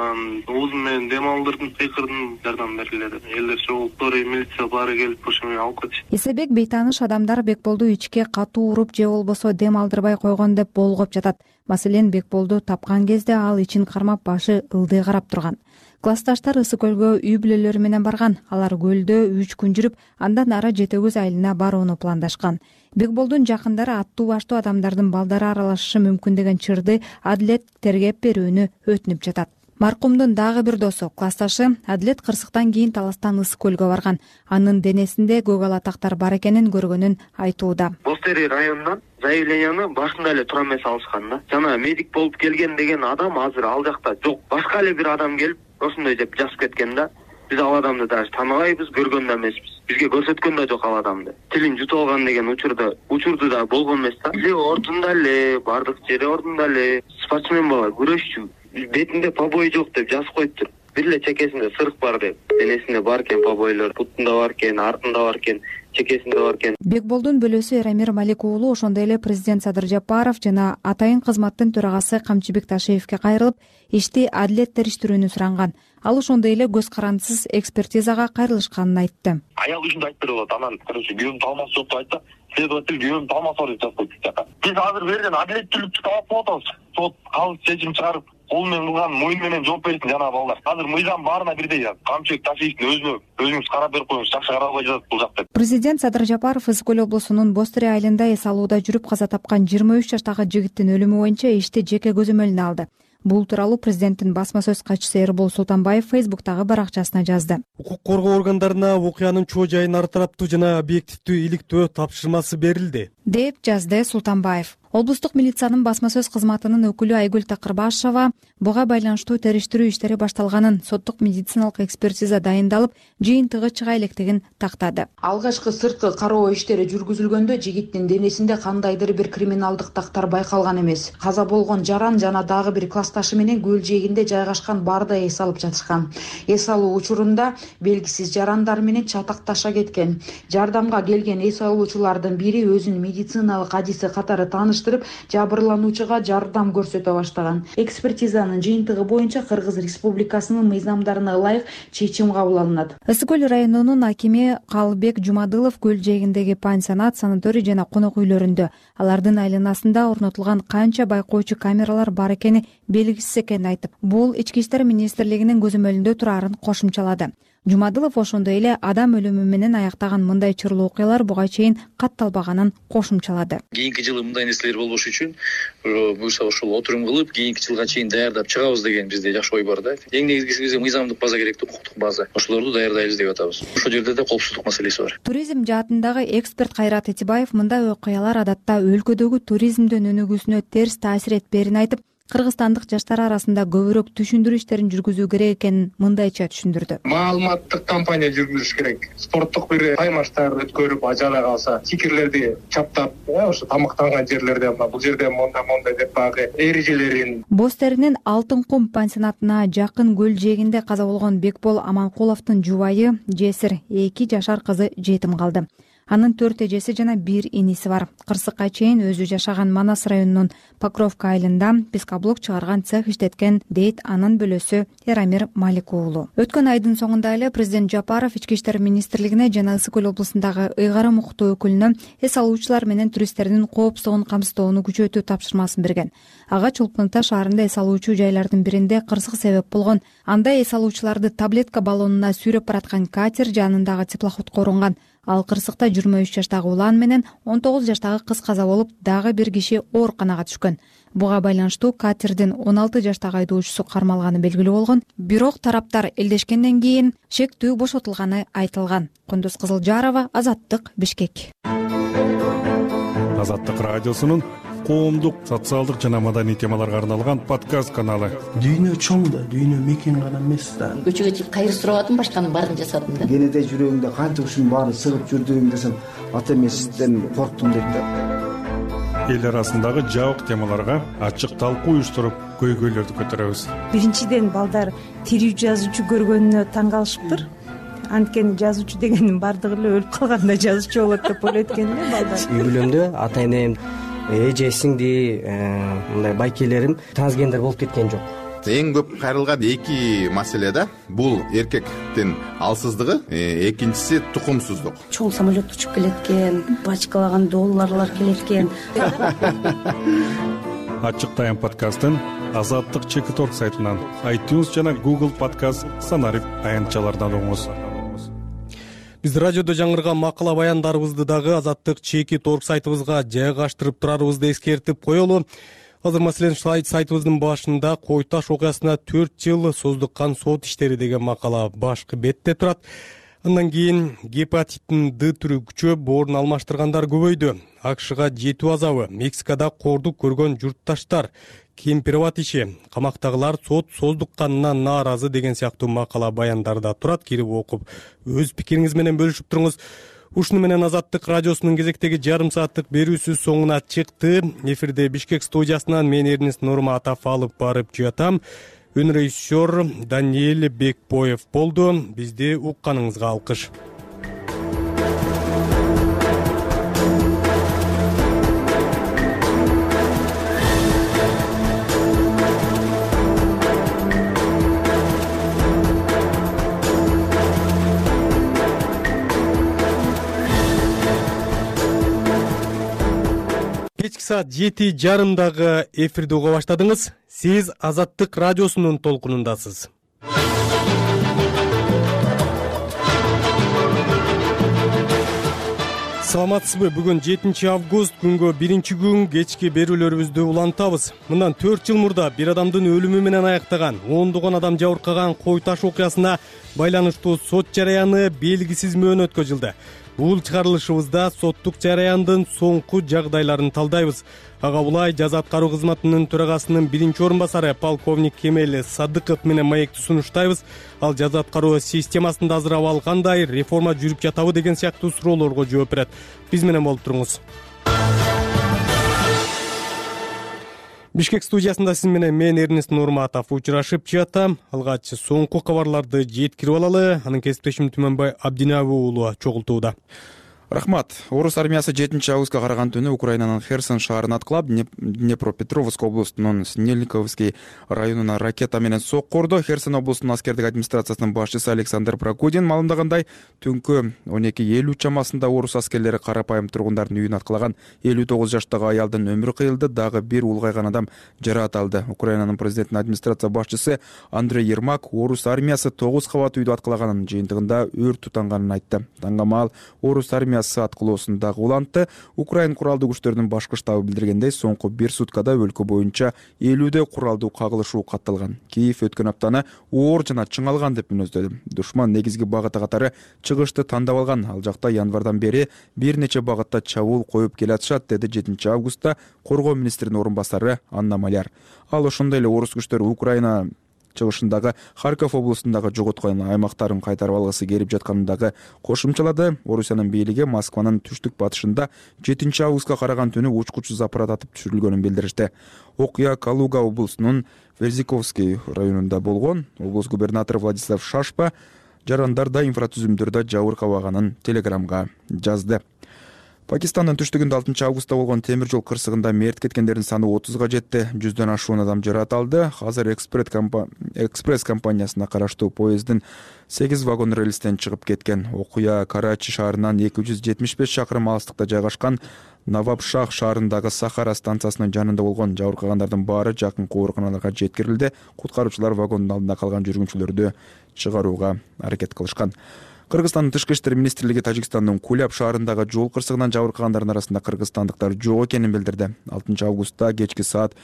S9: оозум менен дем алдырдым, кыйкырдым, жардам бергиле деп. Элдер чогулуп, милиция баары келип, ошо менен алып кетишти.
S21: Исабек бейтааныш адамдар Бекболду ичке катуу уруп же болбосо дем алдырбай койгон деп болгоп жатат. Маселен, Бекболду тапкан кезде ал ичин кармап, башы ылдый карап турган. Классташтар Ысык көлгө үй бүлөлөрү менен барган. Алар көлдө 3 күн жүрүп, андан ары Жетөгүз айылына барууну пландашкан. Бекболдун жакындары аттуу баштуу адамдардын балдары аралашышы мүмкүн деген чырды Адилет тергеп берүүнү өтүнүп жатат. Маркумдун дагы бир досу, классташы Адилет кырсыктан кийин Таластан Ысык көлгө барган. Анын денесинде көк ала тактар бар экенин көргөнүн айтууда.
S6: Бостери районунан заявленияны башында эле тура эмес алышкан да. Жана медик болуп келген деген адам азыр ал жакта жок. Башка эле бир адам келип ошондой деп жазып кеткен да. Биз ал адамды даже тааныбайбыз, көргөн да эмеспиз. Бизге көрсөткөн да жок ал адамды. Тилин жутуп алган деген учурду да болгон эмес да. Эле ордунда эле, бардык жери ордунда эле. Спортсмен бала, күрөшчү. Бетинде побой жок деп жазып коюптур. Бир эле чекесинде сырык бар деп. Денесинде бар экен побойлор, бутунда бар экен, артында бар экен, чекесинде бар экен.
S21: Бекболдун бөлөсү Эрамир Малик уулу ошондой эле президент Садыр Жапаров жана атайын кызматтын төрагасы Камчыбек Ташиевке кайрылып, ишти адилет териштирүүнү суранган. Ал ошондой эле көз карандысыз экспертизага кайрылышканын айтты.
S2: Аял үчүн айтып берип атат. Анан күйөөм талмасы жок деп айтты. Следователь күйөөм талмасы бар деп жазып койду жака. Биз азыр берген адилеттүүлүктү талап кылып атабыз. Сот калыс чечим чыгарып, кол менен кылган моюн менен жооп берсин жана балдар. Азыр мыйзам баарына бирдей. Камчыбек Ташиевдин өзүңүз карап берип коюңуз, жакшы карап жатат бул жакта.
S21: Президент Садыр Жапаров Ысык көл облусунун Бостыре айылында эс алууда жүрүп каза тапкан 23 жаштагы жигиттин өлүмү боюнча ишти жеке көзөмөлүнө алды. Бул тууралуу президенттин басма сөз катчысы Эрбол Султанбаев Фейсбуктагы баракчасына жазды.
S1: Укук коргоо органдарына окуянын чоо жайын ар тараптуу жана объективдүү иликтөө тапшырмасы берилди,
S21: деп жазды Султанбаев. Облустук милициянын басма сөз кызматынын өкүлү Айгүл Такырбашева буга байланыштуу териштирүү иштери башталганын, соттук медициналык экспертиза дайындалып, жыйынтыгы чыга электигин тактады.
S4: Алгачкы сырткы кароо иштери жүргүзүлгөндө жигиттин денесинде кандайдыр бир криминалдык тактар байкалган эмес. Каза болгон жаран жана дагы бир классташы менен көл жээгинде жайгашкан баарда эс алып жатышкан. Эс алуу учурунда белгисиз жарандар менен чатакташа кеткен. Жардамга келген эс алуучулардын бири өзүн медициналык адиси катары тааныштырып, жабырлануучуга жардам көрсөтө баштаган. Экспертизанын жыйынтыгы боюнча Кыргыз Республикасынын мыйзамдарына ылайык чечим кабыл алынат.
S21: Ысык көл районунун акими Калыбек Жумадылов көл жээгиндеги пансионат, санаторий жана конок үйлөрүндө алардын айланасында орнотулган канча байкоочу камералар бар экени белгисиз экенин айтып, бул Ички иштер министрлигинин көзөмөлүндө турарын кошумчалады. Жумадылов ошондой эле адам өлүмү менен аяктаган мындай чырлуу окуялар буга чейин катталбаганын кошумчалады.
S22: Кийинки жылы мындай нерселер болбош үчүн буюрса ошол отурум кылып, кийинки жылга чейин даярдап чыгабыз деген бизде жакшы ой бар да. Эң негизгиси бизге мыйзамдык база керек, укуктук база. Ошолорду даярдайбыз деп атабыз. Ошол жерде да коопсуздук маселеси бар.
S21: Туризм жаатындагы эксперт Кайрат Этибаев мындай окуялар адатта өлкөдөгү туризмдин өнүгүүсүнө терс таасир этпээрин айтып, кыргызстандык жаштар арасында көбүрөөк түшүндүрүү иштерин жүргүзүү керек экенин мындайча түшүндүрдү.
S23: Маалыматтык кампания жүргүзүш керек. Спорттук бир таймаштар өткөрүп, жада калса, стикерлерди чаптап, ошо тамактанган жерлерде бул жерде мондай деп багы эрежелерин.
S21: Бостеринин Алтын кум пансионатына жакын көл жээгинде каза болгон Бекбол Аманкуловдун жубайы Жесир 2 жашар кызы жетим калды. Анын 4 эжеси жана 1 иниси бар. Кырсыкка чейин өзү жашаган Манас районунун Покровка айылында пескоблок чыгарган цех иштеткен, дейт анын бөлөсү Эрамир Малик уулу. Өткөн айдын соңунда эле президент Жапаров Ички иштер министрлигине жана Ысык көл облусундагы ыйгарым укуктуу өкүлүнө эс алуучулар менен туристтердин коопсуздугун камсыздоону күчөтүү тапшырмасын берген. Ага Чолпон Ата шаарында эс алуучу жайлардын биринде кырсык себеп болгон. Анда эс алуучуларды таблетка баллонуна сүйрөп бараткан катер жанындагы теплоходко урунган. Ал кырсыкта 23 жаштагы улан менен 19 жаштагы кыз каза болуп, дагы бир киши ооруканага түшкөн. Буга байланыштуу катердин 16 жаштагы айдоочусу кармалганы белгилүү болгон. Бирок тараптар элдешкенден кийин шектүү бошотулганы айтылган. Кундуз Кызылжарова, Азаттык, Бишкек.
S24: Азаттык радиосунун коомдук, социалдык жана маданий темаларга арналган подкаст каналы.
S10: Дүйнө чоң да, дүйнө мекен гана эмес да.
S25: Көчөгө чыгып кайыр сурап атам, башканын баарын жасадым да.
S10: Кенеде жүрөгүңдө канча ушунун баарын сыгып жүрдүң десем, ата эмесизден корктум дейт да.
S24: Эл арасындагы жабык темаларга ачык талкуу уюштуруп, көйгөйлөрдү көтөрөбүз.
S26: Биринчиден балдар тирүү жазуучу көргөнүнө таң калышыптыр. Анткени жазуучу дегенин бардыгы эле өлүп калганда жазуучу болот деп ойлойт экен да балдар.
S27: Үй бүлөмдө ата энем, эже сиңди, мындай байкелерим трансгендер болуп кеткен жок.
S28: Эң көп кайрылган эки маселе да. Бул эркектин алсыздыгы, экинчиси тукумсуздук.
S18: Чоң самолет учуп келет экен, бачкалаган долларлар келет экен.
S24: Ачык тайм подкастын Азаттык Чекиторг сайтынан, iTunes жана Google подкаст санарип аянтчалардан угуңуз.
S1: Биз радиодо жаңырган макала баяндарыбызды дагы Азаттык Чекиторг сайтыбызга жайгаштырып турарыбызды эскертип коелу. Азыр маселен сайтыбыздын башында Кой Таш окуясына 4 жыл создуккан сот иштери деген макала башкы бетте турат. Андан кийин гепатиттин Д түрү күчөп, орун алмаштыргандар көбөйдү. АКШга жетүү азабы, Мексикада кордук көргөн журтташтар, кемпирабад иши, камактагылар сот создукканына нааразы деген сыяктуу макала баяндарда турат. Кирип окуп, өз пикириңиз менен бөлүшүп туруңуз. Ушуну менен Азаттык радиосунун кезектеги жарым сааттык берүүсү соңуна чыкты. Эфирде Бишкек студиясынан мен Эрнест Нурматов алып барып жатам. Режиссер Даниэль Бекбоев болду. Бизди укканыңызга алкыш. Кечки саат 7:30 эфирди уга баштадыңыз. Сиз Азаттык радиосунун толкунундасыз. Саламатсызбы? Бүгүн 7 август, күнгө 1-күн кечки берүүлөрүбүздү улантабыз. Мындан 4 жыл мурда бир адамдын өлүмү менен аяктаган, ондогон адам жабыркаган Кой Таш окуясына байланыштуу сот жараяны белгисиз мөөнөткө жылды. Бул чыгарылышыбызда соттук жараяндын соңку жагдайларын талдайбыз. Ага булай жаза аткаруу кызматынын төрагасынын 1-орун басары полковник Кемел Садыков менен маекти сунуштайбыз. Ал жаза аткаруу системасын азырап алгандай, реформа жүрүп жатабы деген сыяктуу суроолорго жооп берет. Биз менен болуп туруңуз. Бишкек студиясында сиз менен мен Эрнест Нурматов учурашып жатам. Алгач соңку кабарларды жеткирип алалы. Анын кесиптешим Түмөнбай Абдинабы уулу чогултууда.
S3: Рахмат. Орус армиясы 7 августка караган түнү Украинанын Херсон шаарын аткылап, Днепропетровск областынын Снельниковский районуна ракета менен сокку урду. Херсон областынын аскердик администрациясынын башчысы Александр Прокудин маалымдагандай, түнкү 12:50 чамасында орус аскерлери карапайым тургундардын үйүн аткылаган. 59 жаштагы аялдын өмүрү кыйылды, дагы бир улгайган адам жараат алды. Украинанын президенттин администрация башчысы Андрей Ермак орус армиясы 9 кабат үйдү аткылаганын, жыйынтыгында өрт тутанганын айтты. Таңгамал орус армиясы аткылоосундагы улантты. Украин куралдуу күчтөрүнүн башкы штабы билдиргендей, соңку 1 суткада өлкө боюнча 50 куралдуу кагылышуу катталган. Киев өткөн аптаны оор жана чыңалган деп мүнөздөдү. Душман негизги багыты катары чыгышты тандап алган. Ал жакта январдан бери бир нече багытта чабуул коюп келатышат, деди 7 августта коргоо министринин орун басары Анна Маляр. Ал ошондой эле орус күчтөрү Украина чыгышындагы Харьков областындагы жоготкон аймактарын кайтарып алгысы келип жатканындагы кошумчалады. Орусиянын бийлиги Москванын түштүк батышында 7 августка караган түнү учкучсуз аппарат атып түшүрүлгөнүн билдиришти. Окуя Калуга облусунун Верзиковский районунда болгон. Облус губернатору Владислав Шашпа жарандарда инфратүзүмдөрдө жабыркабаганын телеграмга жазды. Пакистандын түштүгүндө 6 августта болгон темир жол кырсыгында мерт кеткендердин саны 30га жетти. 100дөн ашуун адам жараат алды. Азыр экспресс компаниясына караштуу поезддин 8 вагон рельстен чыгып кеткен. Окуя Карачи шаарынан 275 чакырым алыстыкта жайгашкан Навабшах шаарындагы Сахара станциясынын жанында болгон. Жабыркагандардын баары жакынкы ооруканаларга жеткирилди. Куткаруучулар вагондун алдында калган жүргүнчүлөрдү чыгарууга аракет кылышкан. Кыргызстандын тышкы иштер министрлиги Тажикстандын Куляб шаарындагы жол кырсыгынан жабыркагандардын арасында кыргызстандыктар жок экенин билдирди. 6 августта кечки саат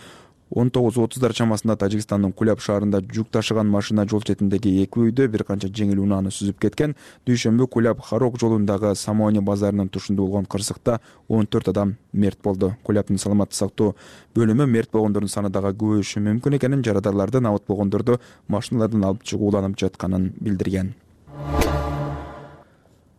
S3: 19:30 чамасында Тажикстандын Куляб шаарында жүк ташыган машина жол четиндеги 2 үйдө бир канча жеңил унааны сүзүп кеткен. Дүйшөмбү Куляб Харок жолундагы Самони базарынын тушунда болгон кырсыкта 14 адам мерт болду. Кулябдын саламаттык сактоо бөлүмү мерт болгондордун саны дагы көбөйүшү мүмкүн экенин, жарадарларды абат болгондорду машиналардан алып чыгуу уланып жатканын билдирген.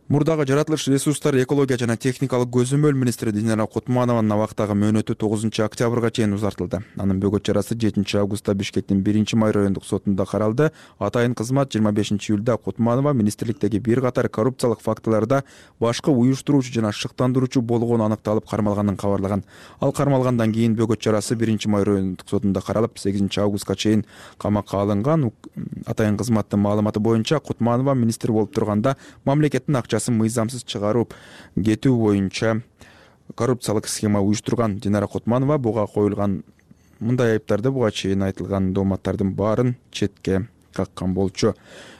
S3: Мурдагы жаратылыш ресурстар, экология жана техникалык көзөмөл министри Динара Кутманованын абактагы мөөнөтү 9 октябрга чейин узартылды. Анын бөгөт чарасы 7 августта Бишкектин 1-май райондук сотунда каралды. Атайын кызмат 25 июлда Кутманова министрликтеги бир катар коррупциялык фактыларда башкы уюштуруучу жана шыктандыруучу болгону аныкталып кармалганын кабарлаган. Ал кармалгандан кийин бөгөт чарасы 1-май райондук сотунда каралып, 8 августка чейин камакка алынган. Атайын кызматтын маалыматы боюнча Кутманова министр болуп турганда мамлекеттин мыйзамсыз чыгарып кетүү боюнча коррупциялык схема уюштурган. Динара Кутманова буга коюлган мындай айыптарды буга чейин айтылган дооматтардын баарын четке каккан болчу.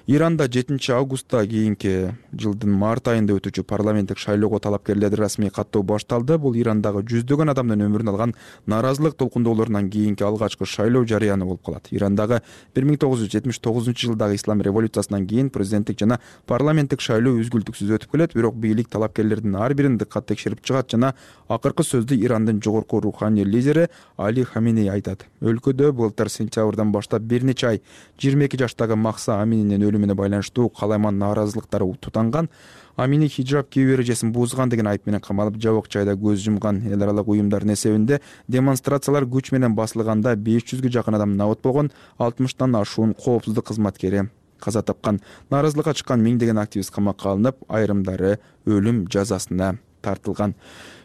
S3: Иранда 7 августта кийинки жылдын март айында өтүүчү парламенттик шайлоого талапкерлерди расмий каттоо башталды. Бул Ирандагы жүздөгөн адамдын өмүрүн алган нааразылык толкундоолорунан кийинки алгачкы шайлоо жарыяны болуп калат. Ирандагы 1979-жылдагы ислам революциясынан кийин президенттик жана парламенттик шайлоо үзгүлтүксүз өтүп келет, бирок бийлик талапкерлердин ар бирин дыккат текшерип чыгат жана акыркы сөздү Ирандын жогорку руханий лидери Али Хаминей айтат. Өлкөдө былтыр сентябрдан баштап бир нече ай 22 жаштагы Махса Амининин өлүмүнө байланыштуу калайман нааразылыктары тутанган. Амини хижраб кийүү эрежесин бузган деген айып менен камалып, жабык жайда көз жумган. Эл аралык уюмдардын эсебинде демонстрациялар күч менен басылганда 500гө жакын адам набыт болгон, 60тан ашуун коопсуздук кызматкери каза тапкан. Нааразылыкка чыккан миңдеген активист камакка алынып, айрымдары өлүм жазасына тартылган.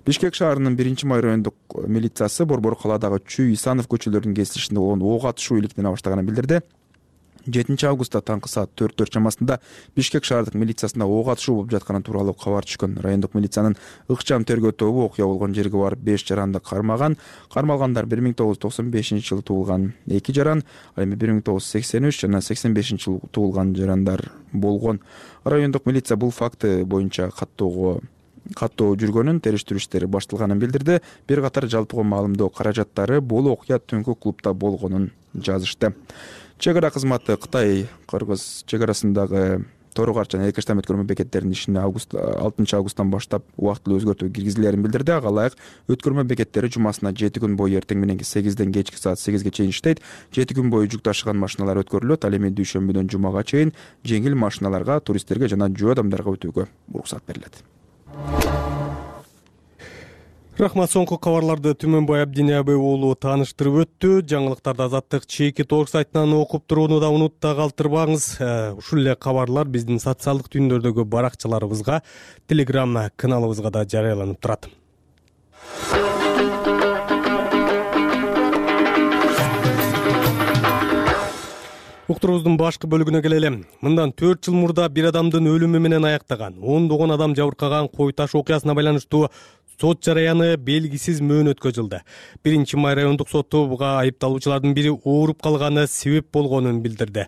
S3: Бишкек шаарынын 1-май райондук милициясы Борбор калаадагы Чүй Исанов көчөлөрүнүн кесилишинде болгон ок атышуу иликтене баштаганын билдирди. 7 августта таңкы саат 4 чамасында Бишкек шаардык милициясында ок атышуу болуп жатканы тууралуу кабар түшкөн. Райондук милициянын ыкчам тергөө тобу окуя болгон жерге барып 5 жаранды кармаган. Кармалгандар 1995-жылы туулган 2 жаран, ал эми 1983 жана 85-жылы туулган жарандар болгон. Райондук милиция бул факты боюнча каттоо жүргөнүн, териштирүү иштери башталганын билдирди. Бир катар жалпыга маалымдоо каражаттары бул окуя түнкү клубда болгонун жазышты. Чек ара кызматы Кытай-Кыргыз чек арасындагы Торугар жана Экештам өткөрмө бекеттеринин ишине 6 августтан баштап убактылуу өзгөртүү киргизилерин билдирди. Ага ылайык өткөрмө бекеттери жумасына 7 күн бою эртең мененки 8ден кечки саат 8ге чейин иштейт. 7 күн бою жүк ташыган машиналар өткөрүлөт. Ал эми дүйшөмбүдөн жумага чейин жеңил машиналарга, туристтерге жана жөө адамдарга өтүүгө уруксат берилет.
S1: Рахмат, соңку кабарларды Түмөнбай Абдиниябай уулу тааныштырып өттү. Жаңылыктарды Азаттык чеки торг сайтынан окуп турууну да унутта калтырбаңыз. Ушул эле кабарлар биздин социалдык түйүндөрдөгү баракчаларыбызга, Telegram каналыбызга да жарыяланып турат. Уктуруубуздун башкы бөлүгүнө келели. Мындан 4 жыл мурда бир адамдын өлүмү менен аяктаган, ондогон адам жабыркаган Кой Таш окуясына байланыштуу сот жараяны белгисиз мөөнөткө жылды. 1-май райондук соту буга айыпталуучулардын бири ооруп калганы себеп болгонун билдирди.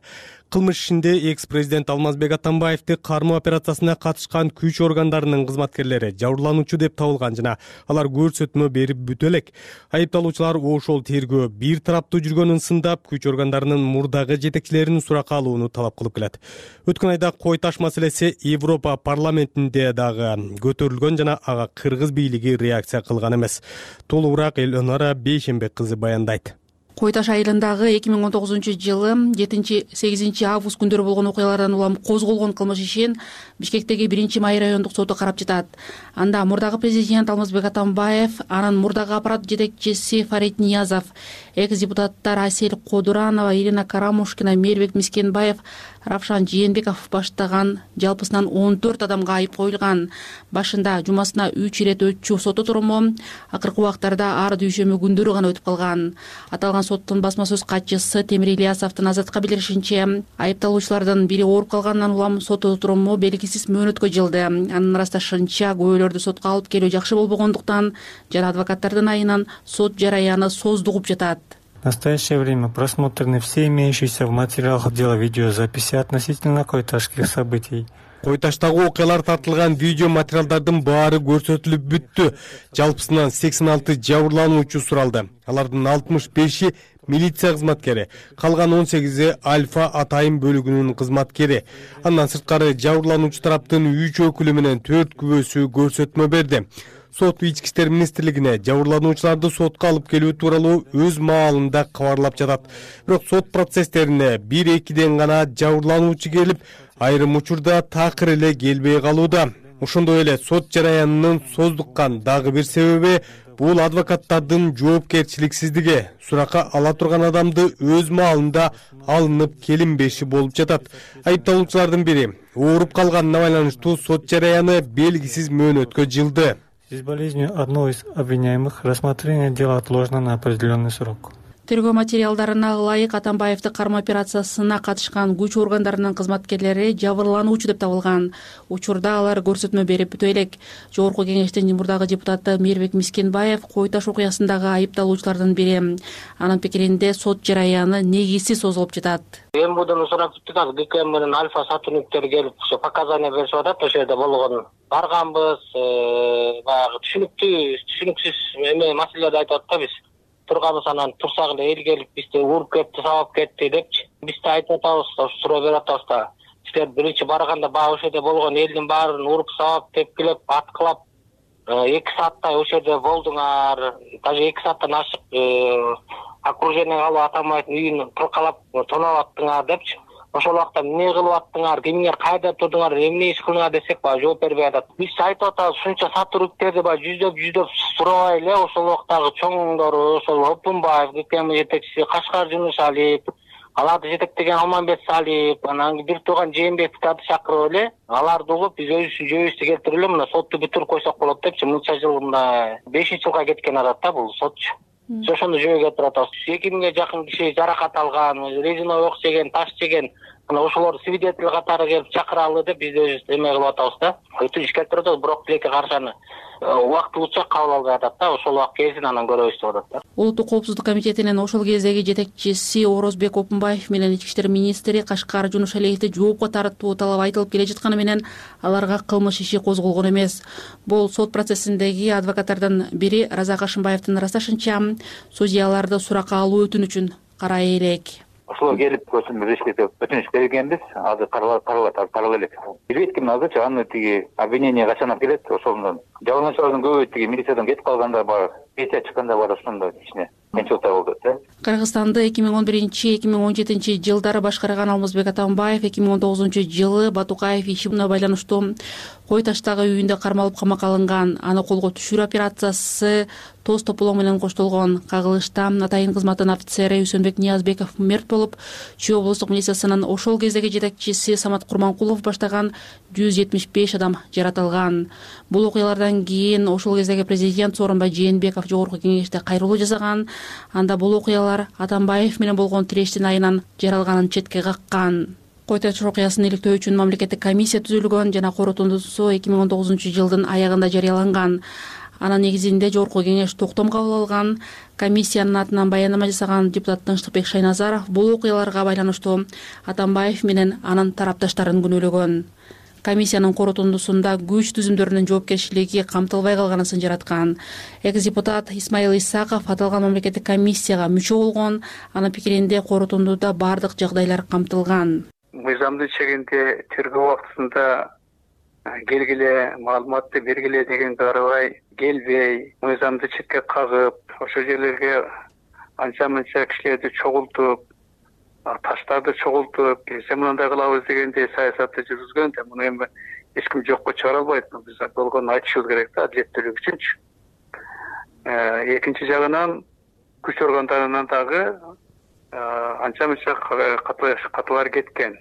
S1: Кылмыш ишинде экс-президент Алмазбек Атамбаевди кармоо операциясына катышкан күч органдарынын кызматкерлери жабырлануучу деп табылган жана алар көрсөтмө берип бүтө элек. Айыпталуучулар ошол тергөө бир тараптуу жүргөнүн сындап, күч органдарынын мурдагы жетекчилерин суракка алууну талап кылып келет. Өткөн айда Кой Таш маселеси Европа парламентинде дагы көтөрүлгөн жана ага кыргыз бийлиги реакция кылган эмес. Толугураак Элнара Бейшембек кызы баяндайт.
S5: Кой Таш айылындагы 2019-жылы 7-8 август күндөрү болгон окуялардан улам козголгон кылмыш ишин Бишкектеги 1-май райондук соту карап жатат. Анда мурдагы президент Алмазбек Атамбаев, анын мурдагы аппарат жетекчиси Фарид Ниязов, экс-депутаттар Асель Кодуранова, Ирина Карамушкина, Мээрбек Мискенбаев, Равшан Жээнбеков баштаган жалпысынан 14 адамга айып коюлган. Башында жумасына 3 ирет өтчү сот отуруму акыркы убактарда ар дүйшөмө күндөрү гана өтүп калган. Аталган соттун басма сөз катчысы Темир Ильясовдун Азатка билдиришинче, айыпталуучулардын бири ооруп калгандан улам сот отуруму белгисиз мөөнөткө жылды. Анын ырасташынча, күбөлөрдү сотко алып келүү жакшы болбогондуктан жана адвокаттардын айынан сот жараяны создугуп жатат.
S7: В настоящее время просмотрены все имеющиеся в материалах дела видеозаписи относительно койташских событий.
S1: Кой Таштагы окуялар тартылган видео материалдардын баары көрсөтүлүп бүттү. Жалпысынан 86 жабырлануучу суралды. Алардын 65-и милиция кызматкери, калган 18-и Альфа атайын бөлүгүнүн кызматкери. Андан сырткары жабырлануучу тараптын 3 өкүлү менен 4 күбөсү көрсөтмө берди. Сот Ички иштер министрлигине жабырлануучуларды сотко алып келүү тууралуу өз маалында кабарлап жатат. Бирок сот процесстерине 1-2ден гана жабырлануучу келип, айрым учурда такыр эле келбей калууда. Ошондой эле сот жараянынын создуккан дагы бир себеби бул адвокаттардын жоопкерчиликсиздиги. Суракка ала турган адамды өз маалында алынып келинбеши болуп жатат. Айыпталуучулардын бири ооруп калганына байланыштуу сот жараяны белгисиз мөөнөткө жылды.
S7: С болезнью одного из обвиняемых рассмотрение дела отложено на определенный срок.
S5: Тергөө материалдарына ылайык Атамбаевди кармоо операциясына катышкан күч органдарынын кызматкерлери жабырлануучу деп табылган. Учурда алар көрсөтмө берип бүтө элек. Жогорку кеңештин мурдагы депутаты Мээрбек Мискенбаев Кой Таш окуясындагы айыпталуучулардын бири. Анын пикиринде сот жараяны негизсиз созулуп жатат.
S8: МВДнын сурап бүттүк ГКМ менен Альфа сотрудниктери келип показания беришип атат, ошол жерде болгон. Барганбыз, баягы түшүнүксүз маселелерди айтып атат да биз. Турганбыз, анан турсак эле эл келип бизди уруп кетти, сабап кетти депчи. Биз да айтып атабыз, суроо берип атабыз да. Силер биринчи барганда баягы ошол жерде болгон элдин баарын уруп сабап, тепкилеп, аткылап 2 сааттай ошол жерде болдуңар. Даже 2 сааттан ашык окружение алып Атамбаевдин үйүн кыркалап тоноп аттыңар депчи. Ошол убакта эмне кылып аттыңар, кимдер кайда турдуңар, эмне иш кылдыңар десек, баягы жооп бербей атат. Биз айтып атабыз, ушунча сотрудниктерди баягы жүздөп сурабай эле ошол убактагы чоңдору, ошол Опунбаев, ГКМ жетекчиси Кашкар Жунушалиев, аларды жетектеген Алмамбет Салиев, анан бир тууган Жээнбековду чакырып эле, аларды угуп биз өзүбүздүн жөөбүздү келтирип эле мына сотту бүтүрүп койсок болот депчи, мынча жыл мына 5-жылга кеткен атат да бул сотчу. Ошону жөөгө келтирип атабыз. 2000ге жакын киши жаракат алган, резиновый ок жеген, таш жеген. Мына ошолор свидетель катары келип чакыралы деп биз өзүбүз эме кылып атабыз да. Өтүнүч келтирип атабыз, бирок тилекке каршы аны убактылууча кабыл албай атат да. Ошол убакыт кезин анан көрөбүз деп атат да.
S5: Улуттук коопсуздук комитетинин ошол кездеги жетекчиси Орозбек Опунбаев менен ички иштер министри Кашкар Жунушалиевди жоопко тартуу талап айтылып келе жатканы менен аларга кылмыш иши козголгон эмес. Бул сот процессиндеги адвокаттардын бири Разак Ашымбаевдин ырасташынча, судьяларды суракка алуу өтүнүчүн карай элек.
S11: Ошолор келип көрсөтмө беришти деп өтүнүч бергенбиз. Азыр каралып элек. Билбейт ким азырчы аны тиги обвинение качан келет, ошондон. Жабырлануучулардын көбү тиги милициядан кетип калгандар бар, пенсия чыккандар бар, ошондой кичине кыйынчылыктар болду да.
S5: Кыргызстанды 2011-2017 жылдары башкарган Алмазбек Атамбаев 2019-жылы Батукаев иши менен байланыштуу Кой Таштагы үйүндө кармалып камакка алынган. Аны колго түшүрүү операциясы тоз тополоң менен коштолгон. Кагылышта атайын кызматтын офицери Үсөнбек Ниязбеков мерт болуп, Чүй облустук милициясынын ошол кездеги жетекчиси Самат Курманкулов баштаган 175 адам жаратылган. Бул окуялардан кийин ошол кездеги президент Сооронбай Жээнбеков жогорку кеңеште кайрылуу жасаган. Анда бул окуялар Атамбаев менен болгон тирештин айынан жаралганын четке каккан. Кой Таш окуясын иликтөө үчүн мамлекеттик комиссия түзүлгөн жана корутундусу 2019-жылдын аягында жарыяланган. Анын негизинде жогорку кеңеш токтом кабыл алган. Комиссиянын атынан баяндама жасаган депутат Тынчтыкбек Шайназаров бул окуяларга байланыштуу Атамбаев менен анын тарапташтарын күнөөлөгөн. Комиссиянын корутундусунда күч түзүмдөрүнүн жоопкерчилиги камтылбай калганысын жараткан. Экс-депутат Исмаил Исаков аталган мамлекеттик комиссияга мүчө болгон. Анын пикиринде корутундуда бардык жагдайлар камтылган.
S8: Мыйзамдын чегинде тергөө убактысында келгиле, маалыматты бергиле дегенге карабай келбей, мыйзамды четке кагып, ошол жерлерге анча-мынча кишилерди чогултуп, таштарды чогултуп, келсе мындай кылабыз дегендей саясатты жүргүзгөн да, муну эми эч ким жокко чыгара албайт. Биз болгону айтышыбыз керек да, адилеттүүлүк үчүнчү. Экинчи жагынан күч органдарынан дагы анча-мынча катылар кеткен.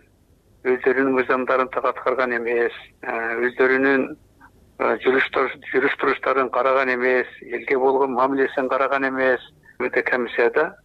S8: Өздөрүнүн мыйзамдарын так аткарган эмес, өздөрүнүн жүрүш туруштарын караган эмес, элге болгон мамилесин караган эмес. Өтө комиссияда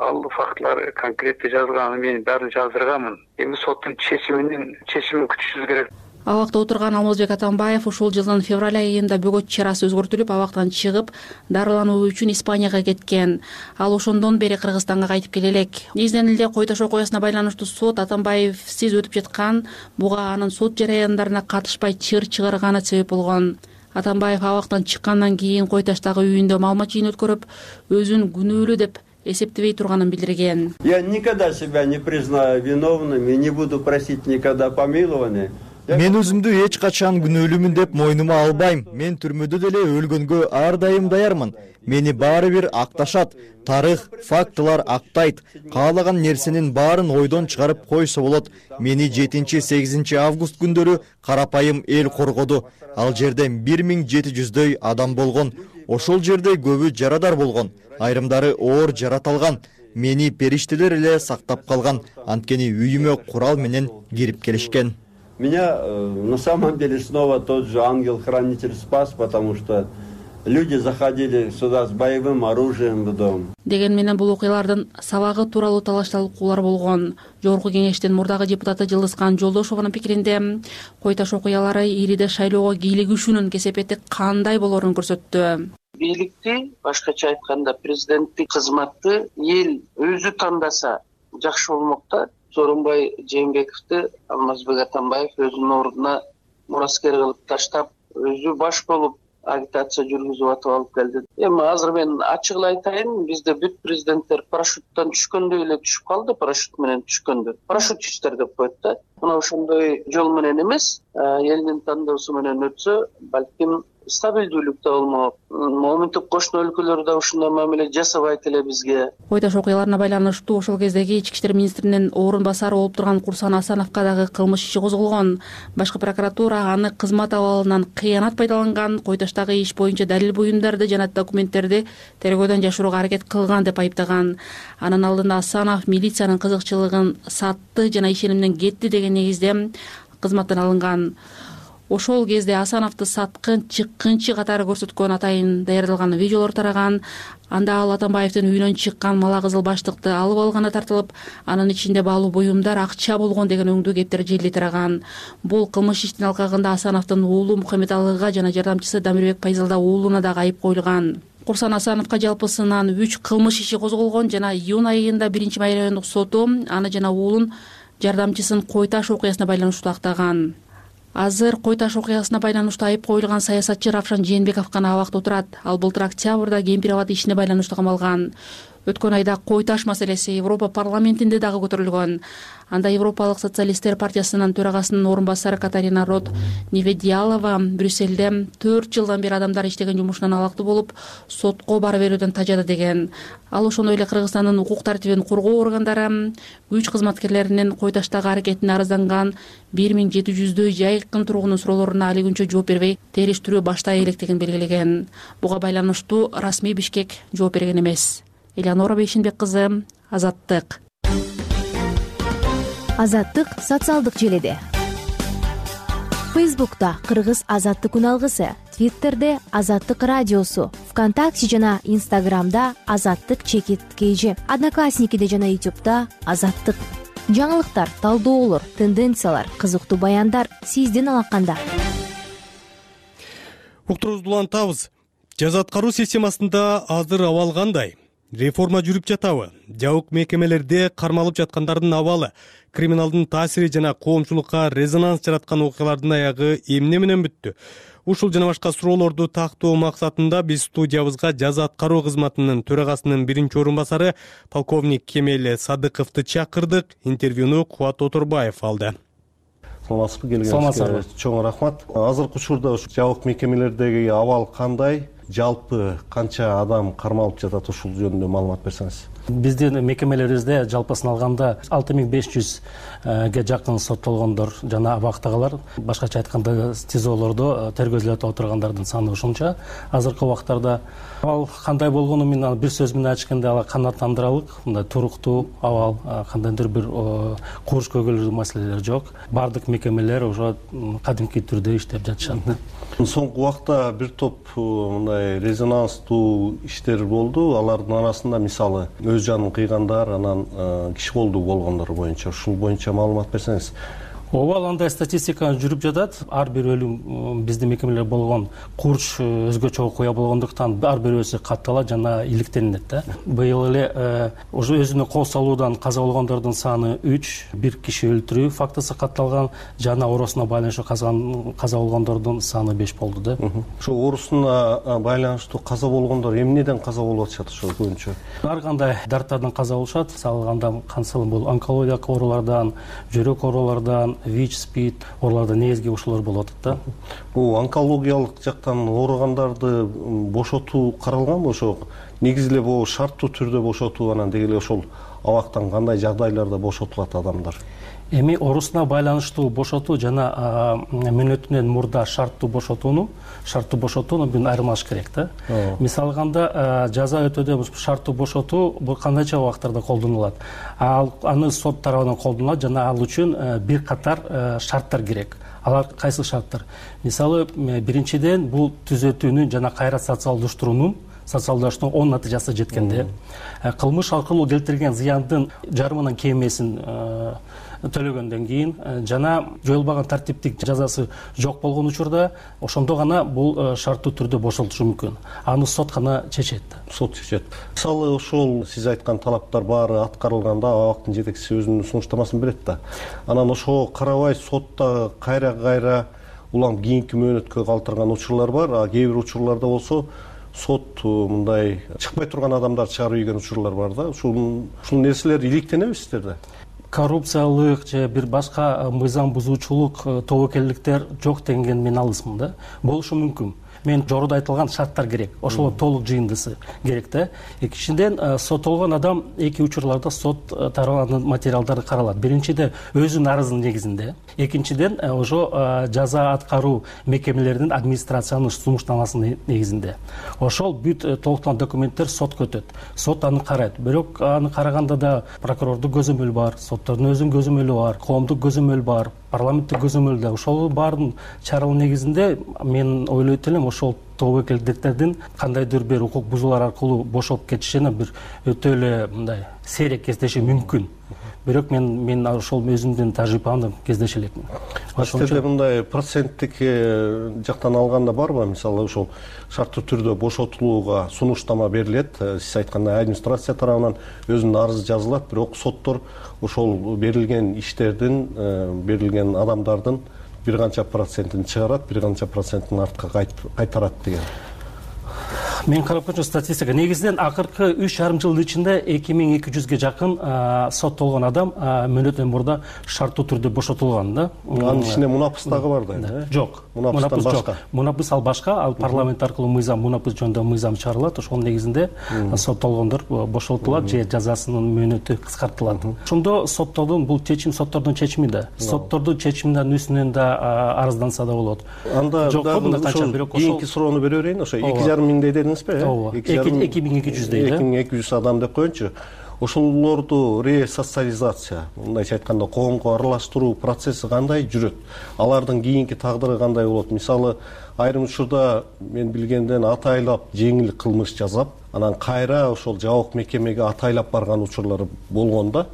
S8: ал фактылар конкреттүү жазылган, мен баарын жаздырганмын. Эми соттун чечимин күтүшүбүз керек.
S5: Абакта отурган Алмазбек Атамбаев ушул жылдын февраль айында бөгөт чарасы өзгөртүлүп, абактан чыгып, дарылануу үчүн Испанияга кеткен. Ал ошондон бери Кыргызстанга кайтып келе элек. Негизинен эле Кой Таш окуясына байланыштуу сот Атамбаевсиз өтүп жаткан, буга анын сот жараяндарына катышпай чыр чыгарганы себеп болгон. Атамбаев абактан чыккандан кийин Кой Таштагы үйүндө маалымат жыйын өткөрүп, өзүн күнөөлүү деп эсептебей турганын билдирген.
S12: Я никогда себя не признаю виновным и не буду просить никогда помилования.
S13: Мен өзүмдү эч качан күнөөлүүмүн деп мойнума албайм. Мен түрмөдө деле өлгөнгө ар дайым даярмын. Мени баары бир акташат. Тарых, фактылар актайт. Каалаган нерсенин баарын ойдон чыгарып койсо болот. Мени 7-8 август күндөрү карапайым эл коргоду. Ал жерде 1700дөй адам болгон. Ошол жерде көбү жарадар болгон. Айрымдары оор жараталган. Мени периштелер эле сактап калган. Анткени үйүмө курал менен кирип келишкен.
S12: Меня на самом деле снова тот же ангел-хранитель спас, потому что Люди заходили сюда с боевым оружием в дом.
S5: Деген менен бул окуялардын сабагы тууралуу талаш-талкуулар болгон. Жогорку кеңештин мурдагы депутаты Жылдызкан Жолдошованын пикиринде Кой Таш окуялары Ириде шайлоого кийлигишүүнүн кесепети кандай болоорун көрсөттү.
S6: Бийликти, башкача айтканда президенттик кызматты эл өзү тандаса жакшы болмок да. Сооронбай Жээнбековду Алмазбек Атамбаев өзүнүн ордуна мураскер кылып таштап, өзү баш болуп агитация жүргүзүп атып алып келди. Эми азыр мен ачык эле айтайын, бизде бүт президенттер парашюттан түшкөндөй эле түшүп калды, парашют менен түшкөндө. Парашютчистер деп коет да. Мына ошондой жол менен эмес, элдин тандоосу менен өтсө, балким стабилдүүлүк да болмок. Моминтип кошуна өлкөлөр да ушундай мамиле жасабайт эле бизге.
S5: Кой Таш окуяларына байланыштуу ошол кездеги ички иштер министринин орун басары болуп турган Курсан Асановго дагы кылмыш иши козголгон. Башкы прокуратура аны кызмат абалынан кыянат пайдаланган, Кой Таштагы иш боюнча далил буюмдарды жана документтерди тергөөдөн жашырууга аракет кылган деп айыптаган. Анын алдында Асанов милициянын кызыкчылыгын сатты жана ишенимден кетти деген негизде кызматтан алынган. Ошол кезде Асановду саткын, чыккынчы катары көрсөткөн атайын даярдалган видеолор тараган. Анда ал Атамбаевдин үйүнөн чыккан мала кызыл баштыкты алып алганы тартылып, анын ичинде баалуу буюмдар, акча болгон деген өңдүү кептер желди тараган. Бул кылмыш иштин алкагында Асановдун уулу Мухаммедалыга жана жардамчысы Дамирбек Пайзалда уулуна дагы айып коюлган. Курсан Асановго жалпысынан 3 кылмыш иши козголгон жана июнь айында 1-Май райондук соту аны жана уулун жардамчысын Кой Таш окуясына байланыштуу актаган. Азыр Кой Таш окуясына байланыштуу айып коюлган саясатчы Равшан Жээнбеков гана абакта отурат. Ал былтыр октябрда Кемпир-Абад ишине байланыштуу камалган. Өткөн айда Кой Таш маселеси Европа парламентинде дагы көтөрүлгөн. Анда Европалык социалисттер партиясынын төрагасынын орун басары Катарина Рот Неведиалова Брюссельде 4 жылдан бери адамдар иштеген жумушунан алактуу болуп, сотко бара берүүдөн тажады деген. Ал ошондой эле Кыргызстандын укук тартибин коргоо органдары күч кызматкерлеринин Кой Таштагы аракетине арызданган 1700дөй жайкын тургунун суроолоруна али күнчө жооп бербей, териштирүү баштай электигин белгилеген. Буга байланыштуу расмий Бишкек жооп берген эмес. Элеонора Бейшинбек кызы, Азаттык.
S9: Азаттык социалдык желеде. Фейсбукта Кыргыз Азаттык күн алгысы, Твиттерде Азаттык радиосу, ВКонтакте жана Инстаграмда Азаттык _KG, Одноклассникиде жана Ютубта Азаттык. Жаңылыктар, талдоолор, тенденциялар, кызыктуу баяндар сиздин алаканда.
S1: Уктурубузду улантабыз. Жаза аткаруу системасында азыр абал кандай? Реформа жүрүп жатабы? Жабык мекемелерде кармалып жаткандардын абалы, криминалдын таасири жана коомчулукка резонанс жараткан окуялардын аягы эмне менен бүттү? Ушул жана башка суроолорду тактоо максатында биз студиябызга жаза аткаруу кызматынын төрагасынын 1-орун басары полковник Кемел Садыковду чакырдык. Интервьюну Кубат Оторбаев алды.
S14: Саламатсызбы, келгениңизге чоң рахмат. Азыркы учурда жабык мекемелердеги абал кандай? Жалпы канча адам кармалып жатат, ушул жөнүндө маалымат берсеңиз.
S15: Биздин мекемелерибизде жалпысын алганда 6500ге жакын соттолгондор жана абактагылар, башкача айтканда ТИЗОлордо тергөөзүлүп отургандардын саны ушунча. Азыркы убактарда абал кандай болгону мен бир сөз менен айтышканда ал канааттандыралык, мындай туруктуу абал, кандайдыр бир курч көгөлдүү маселелер жок. Бардык мекемелер уже кадимки түрдө иштеп жатышат.
S14: Соңку убакта бир топ мындай резонанстуу иштер болду. Алардын арасында мисалы өз жанын кыйгандар, анан киши колдуу болгондор боюнча, ушул боюнча маалымат берсеңиз.
S15: Ооба, андай статистика жүрүп жатат. Ар бир өлүм биздин мекемелер болгон курч өзгөчө окуя болгондуктан ар бирөөсү катталат жана иликтенет да. Быйыл эле уже өзүнө кол салуудан каза болгондордун саны 3, бир киши өлтүрүү фактысы катталган жана оорусуна байланыштуу каза болгондордун саны 5 болду да.
S14: Ошо оорусуна байланыштуу каза болгондор эмнеден каза болуп атышат ошо көбүнчө?
S15: Ар кандай дарттардан каза болушат. Салганда кансыл бул онкологиялык оорулардан, жүрөк оорулардан, ВИЧ, СПИД ооруларда негизги ушулар болуп атат да.
S14: Бул онкологиялык жактан ооругандарды бошотуу каралганбы? Ошо негизи эле бул шарттуу түрдө бошотуу, анан деги эле ошол абактан кандай жагдайларда бошотулат адамдар?
S15: Эми орусуна байланыштуу бошотуу жана мөөнөтүнөн мурда шарттуу бошотууну бүүн айырмалаш керек да. Мисалы алганда жаза өтөөдө шарттуу бошотуу бул кандайча убактарда колдонулат? Аны сот тарабынан колдонулат жана ал үчүн бир катар шарттар керек. Алар кайсы шарттар? Мисалы биринчиден бул түзөтүүнүн жана кайра социалдаштыруунун оң натыйжасы жеткенде, кылмыш аркылуу келтирилген зыяндын жарымынан кемесин төлөгөндөн кийин жана жоюлбаган тартиптик жазасы жок болгон учурда ошондо гана бул шарттуу түрдө бошотулушу мүмкүн. Аны сот гана чечет.
S14: Сот чечет. Мисалы ошол сиз айткан талаптар баары аткарылганда абактын жетекчиси өзүнүн сунуштамасын берет да. Анан ошого карабай сотто кайра улам кийинки мөөнөткө калтырган учурлар бар. А кээ бир учурларда болсо сот мындай чыкпай турган адамдар чыгарып ийген учурлар бар да. Ушул нерселер иликтенеби сиздерде?
S15: Коррупциялык же бир башка мыйзам бузуучулук тобокелдиктер жок деген мен алысмын да. Болушу мүмкүн. Мен жогоруда айтылган шарттар керек. Ошол толук жыйындысы керек да. Экинчиден соттолгон адам эки учурларда сот тарабынан материалдары каралат. Биринчиден өзүнүн арызынын негизинде, экинчиден ошо жаза аткаруу мекемелеринин администрациянын сунуштамасынын негизинде. Ошол бүт толукталган документтер сотко өтөт. Сот аны карайт. Бирок аны караганда да прокурордун көзөмөлү бар, соттордун өзүнүн көзөмөлү бар, коомдук көзөмөл бар, парламенттик көзөмөл да. Ошол баардын чаралуу негизинде мен ойлойт элем ошол тобокелдиктердин кандайдыр бир укук бузуулар аркылуу бошолуп кетишине бир өтө эле мындай сейрек кездеши мүмкүн. Бирок мен ошол өзүмдүн тажрыйбамды кездеше элекмин.
S14: Сиздерде мындай проценттик жактан алганда барбы? Мисалы ошол шарттуу түрдө бошотулууга сунуштама берилет. Сиз айткандай администрация тарабынан өзүнүн арызы жазылат, бирок соттор ошол берилген иштердин, берилген адамдардын бир канча процентин чыгарат, бир канча процентин артка кайтарат деген.
S15: Мен карап көрчү статистика негизинен акыркы 3,5 жылдын ичинде 2200ге жакын соттолгон адам мөөнөтүнөн мурда шарттуу түрдө бошотулган да.
S14: Анын ичинде мунапыс дагы бар да.
S15: Жок.
S14: Мунапыстан башка.
S15: Мунапыс ал башка, ал парламент аркылуу мыйзам мунапыс жөнүндө мыйзам чыгарылат. Ошонун негизинде соттолгондор бошотулат же жазасынын мөөнөтү кыскартылат. Ошондо соттордун бул чечим соттордун чечими да. Соттордун чечиминин үстүнөн да арызданса да болот.
S14: Анда дагы кийинки суроону бере берейин. Ошо 2,5 миңдей дедиңизби?
S15: 2200 дейт.
S14: 2200 адам деп коеюнчу. Ошолорду ресоциализация, мындайча айтканда коомго аралаштыруу процесси кандай жүрөт? Алардын кийинки тагдыры кандай болот? Мисалы, айрым учурда мен билгенден атайлап жеңил кылмыш жазап, анан кайра ошол жабык мекемеге атайлап барган учурлар болгон да.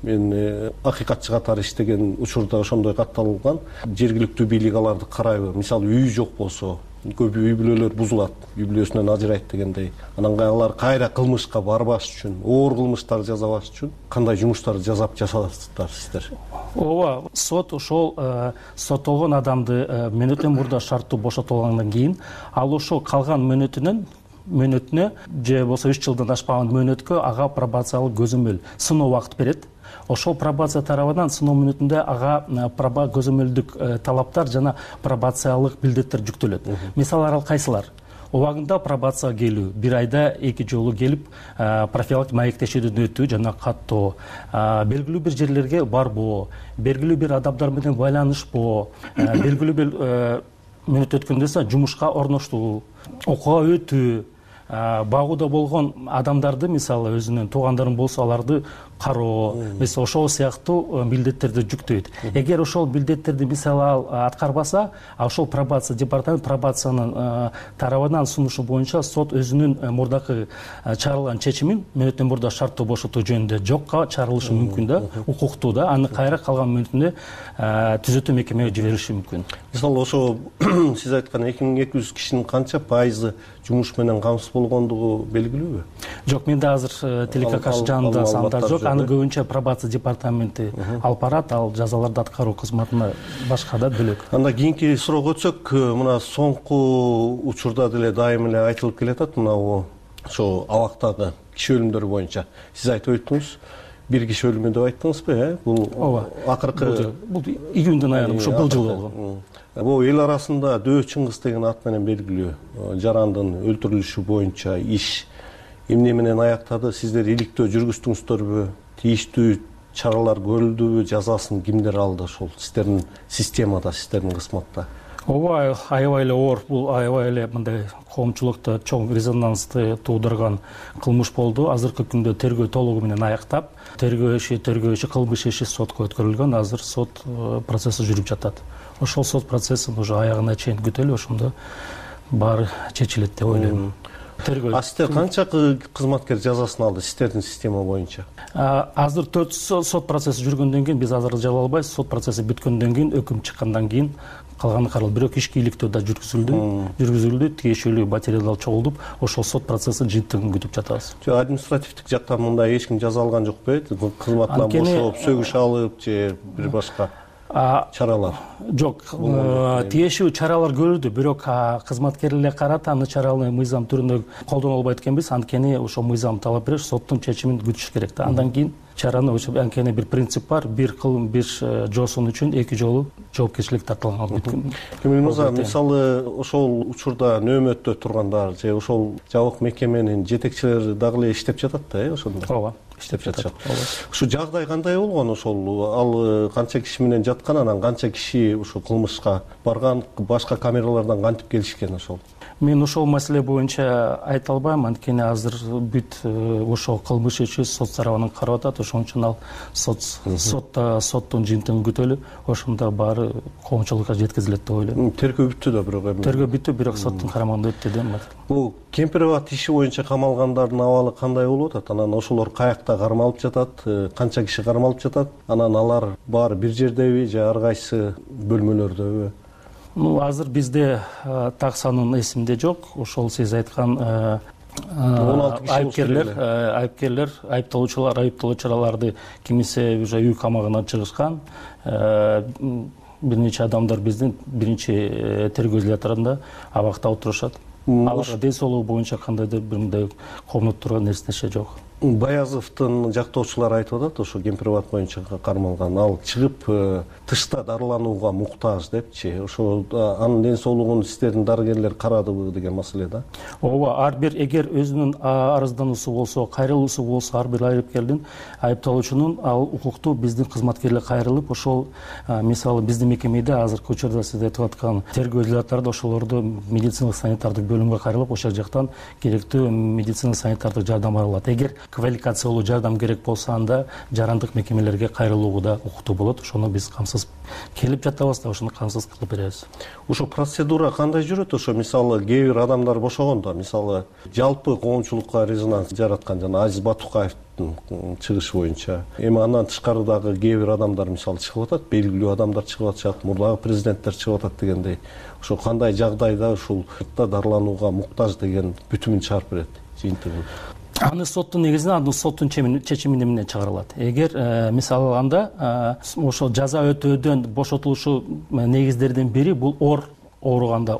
S14: Мен акыйкатчы катары иштеген учурда ошондой катталган. Жергиликтүү бийлик аларды карайбы? Мисалы, үй жок болсо, көп үй бүлөлөр бузулат, үй бүлөсүнөн ажырайт дегендей. Анан алар кайра кылмышка барбаш үчүн, оор кылмыштар жасабаш үчүн кандай жумуштарды жасасыздар сиздер?
S15: Ооба, сот ошол соттолгон адамды мөөнөтүнөн мурда шарттуу бошотулгандан кийин, ал ошол калган мөөнөтүнө же болбосо 3 жылдан ашпаган мөөнөткө ага пробациялык көзөмөл, сыноо убакыт берет. Ошол пробация тарабынан сыноо мүнөтүндө ага көзөмөлдүк талаптар жана пробациялык билдеттер жүктөлөт. Мисалы ал кайсылар? Убагында пробацияга келүү, бир айда 2 жолу келип профилактик маектешүүдөн өтүү жана каттоо, белгилүү бир жерлерге барбоо, белгилүү бир адамдар менен байланышпоо, белгилүү бир мүнөт өткөндөн соң жумушка орноштуу, окууга өтүү, багууда болгон адамдарды, мисалы өзүнүн туугандарын болсо аларды кароо, мисалы ошол сыяктуу милдеттерди жүктөйт. Эгер ошол милдеттерди мисалы ал аткарбаса, ошол пробация департамент пробациянын тарабынан сунушу боюнча сот өзүнүн мурдакы чыгарылган чечимин мөөнөтүнөн мурда шарттуу бошотуу жөнүндө жокко чыгарылышы мүмкүн да, укуктуу да, аны кайра калган мөөнөтүндө түзөтүү мекемеге жибериши мүмкүн.
S14: Мисалы ошо сиз айткан 2200 кишинин канча пайызы жумуш менен камсыз болгондугу белгилүүбү?
S15: Жок, менде азыр тилекке каршы жанында сандар жок. Аны көбүнчө пробация департаменти алып барат, ал жазаларды аткаруу кызматына башка да бөлөк.
S14: Анда кийинки суроого өтсөк, мына соңку учурда деле дайым эле айтылып келатат, мына ошо абактагы киши өлүмдөрү боюнча. Сиз айтып өттүңүз, бир киши өлүмү деп айттыңызбы,
S15: Бул
S14: акыркы
S15: бул июндун айында, ошо бул жыл болгон.
S14: Бул эл арасында Дөө Чыңгыз деген ат менен белгилүү жарандын өлтүрүлүшү боюнча иш эмне менен аяктады? Сиздер иликтөө жүргүздүңүздөрбү? Тийиштүү чаралар көрүлдүбү, жазасын кимдер алды ошол сиздердин системада, сиздердин кызматта?
S15: ооба, аябай эле оор, бул аябай эле мындай коомчулукта чоң резонансты туудурган кылмыш болду. Азыркы күндө тергөө толугу менен аяктап, тергөө иши кылмыш иши сотко өткөрүлгөн. Азыр сот процесси жүрүп жатат. Ошол сот процессин уже аягына чейин күтөлү, ошондо баары чечилет деп ойлойм.
S14: А сиздер канча кызматкер жазасын алды сиздердин система боюнча?
S15: Азыр 4 сот процесси жүргөндөн кийин биз азыр жаба албайбыз. Сот процесси бүткөндөн кийин, өкүм чыккандан кийин калганы каралды. Бирок ишке иликтөө да жүргүзүлдү, тиешелүү материал чогулдуп, ошол сот процессин жыйынтыгын күтүп жатабыз.
S14: Административдик жактан мындай эч ким жаза алган жок беле? Кызматынан бошоп, сөгүш алып же бир башка чаралар?
S15: Жок, тиешелүү чаралар көрүлдү, бирок кызматкерлерге карата аны чараны мыйзам түрүндө колдоно албайт экенбиз. Анткени ошол мыйзам талап берет, соттун чечимин күтүш керек да. Андан кийин чараны анткени бир принцип бар, бир жоосон үчүн 2 жолу жоопкерчилик тартылган.
S14: Кемел мырза, мисалы ошол учурда нөөмөттө тургандар же ошол жабык мекеменин жетекчилери дагы эле иштеп жатат да, ошондо?
S15: Ооба,
S14: иштеп жатышат. Ушу жагдай кандай болгон ошол? Ал канча киши менен жаткан, анан канча киши ушул кылмышка барган, башка камералардан кантип келишкен ошол?
S15: Мен ошол маселе боюнча айта албайм, анткени азыр бүт ошол кылмыш иши сот тарабынан карап атат. Ошон үчүн ал соттун жыйынтыгын күтөлү, ошондо баары коомчулукка жеткизилет деп ойлойм.
S14: Тергөө бүттү да, бирок эми.
S15: Тергөө бүттү, бирок соттун карамагында өттү да.
S14: Бул Кемпирабад иши боюнча камалгандардын абалы кандай болуп атат? Анан ошолор каякта кармалып жатат? Канча киши кармалып жатат? Анан алар баары бир жердеби же ар кайсы бөлмөлөрдөбү?
S15: Азыр бизде так санын эсимде жок. Ошол сиз айткан
S14: 16
S15: айыпкерлер, айыпталуучуларды кимисе уже үй камагынан чыгышкан. Бир нече адамдар биздин биринчи тергөө изоляторунда абакта отурушат. Аларга ден соолугу боюнча кандайдыр бир мындай комнат турган нерсе жок.
S14: Баязовдун жактоочулары айтып атат, ошо Кемпирабад боюнча кармалган, ал чыгып тышта дарыланууга муктаж депчи. Ошо анын ден соолугун сиздердин дарыгерлер карадыбы деген маселе да?
S15: Ооба, ар бир эгер өзүнүн арыздануусу болсо, кайрылуусу болсо, ар бир айыпкердин, айыпталуучунун ал укуктуу биздин кызматкерлер кайрылып, ошол мисалы биздин мекемеде азыркы учурда сиз айтып аткан тергөө изоляторунда ошолорду медициналык санитардык бөлүмгө кайрылып, ошол жактан керектүү медициналык санитардык жардам алат. Эгер квалификациялуу жардам керек болсо, анда жарандык мекемелерге кайрылууга да укуктуу болот. Ошону биз камсыз келип жатабыз да, ошону камсыз кылып беребиз.
S14: Ошо процедура кандай жүрөт? Ошо мисалы кээ бир адамдар бошогондо, мисалы жалпы коомчулукка резонанс жараткан жана Азиз Батукаевдин чыгышы боюнча, эми андан тышкары дагы кээ бир адамдар мисалы чыгып атат, белгилүү адамдар чыгып атышат, мурдагы президенттер чыгып атат дегендей. Ошо кандай жагдайда ушул дарыланууга муктаж деген бүтүмүн чыгарып берет, жыйынтыгын?
S15: Аны соттун негизинде, аны соттун чечими менен чыгарылат. Эгер мисалы алганда ошол жаза өтөөдөн бошотулушу негиздердин бири бул ооруганда,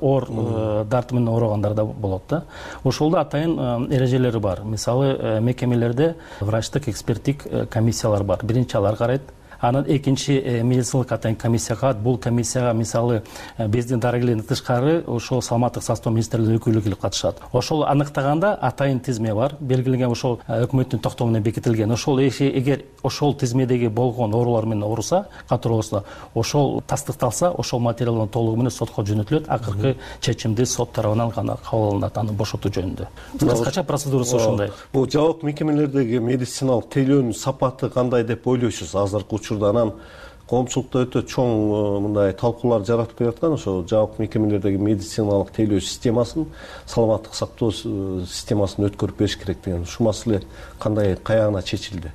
S15: дарты менен ооругандарда болот да. Ошолдо атайын эрежелери бар. Мисалы мекемелерде врачтык эксперттик комиссиялар бар. Биринчи алар карайт. Анан экинчи медициналык атайын комиссия калат. Бул комиссияга мисалы биздин дарыгерлердин тышкары ошол саламаттык сактоо министрлигинин өкүлү келип катышат. Ошол аныктаганда атайын тизме бар, белгиленген, ошол өкмөттүн токтому менен бекитилген. Ошол эгер ошол тизмедеги болгон оорулар менен ооруса, катуу ооруса, ошол тастыкталса, ошол материалдын толугу менен сотко жөнөтүлөт. Акыркы чечимди сот тарабынан гана кабыл алынат, аны бошотуу жөнүндө. Кыскача процедурасы ошондой.
S14: Бул жабык мекемелердеги медициналык тейлөөнүн сапаты кандай деп ойлойсуз азыркы учурда? Анан коомчулукта өтө чоң мындай талкуулар жаратып келаткан, ошо жабык мекемелердеги медициналык тейлөө системасын, саламаттык сактоо системасын өткөрүп бериш керек деген. Ушул маселе кандай, каягына чечилди?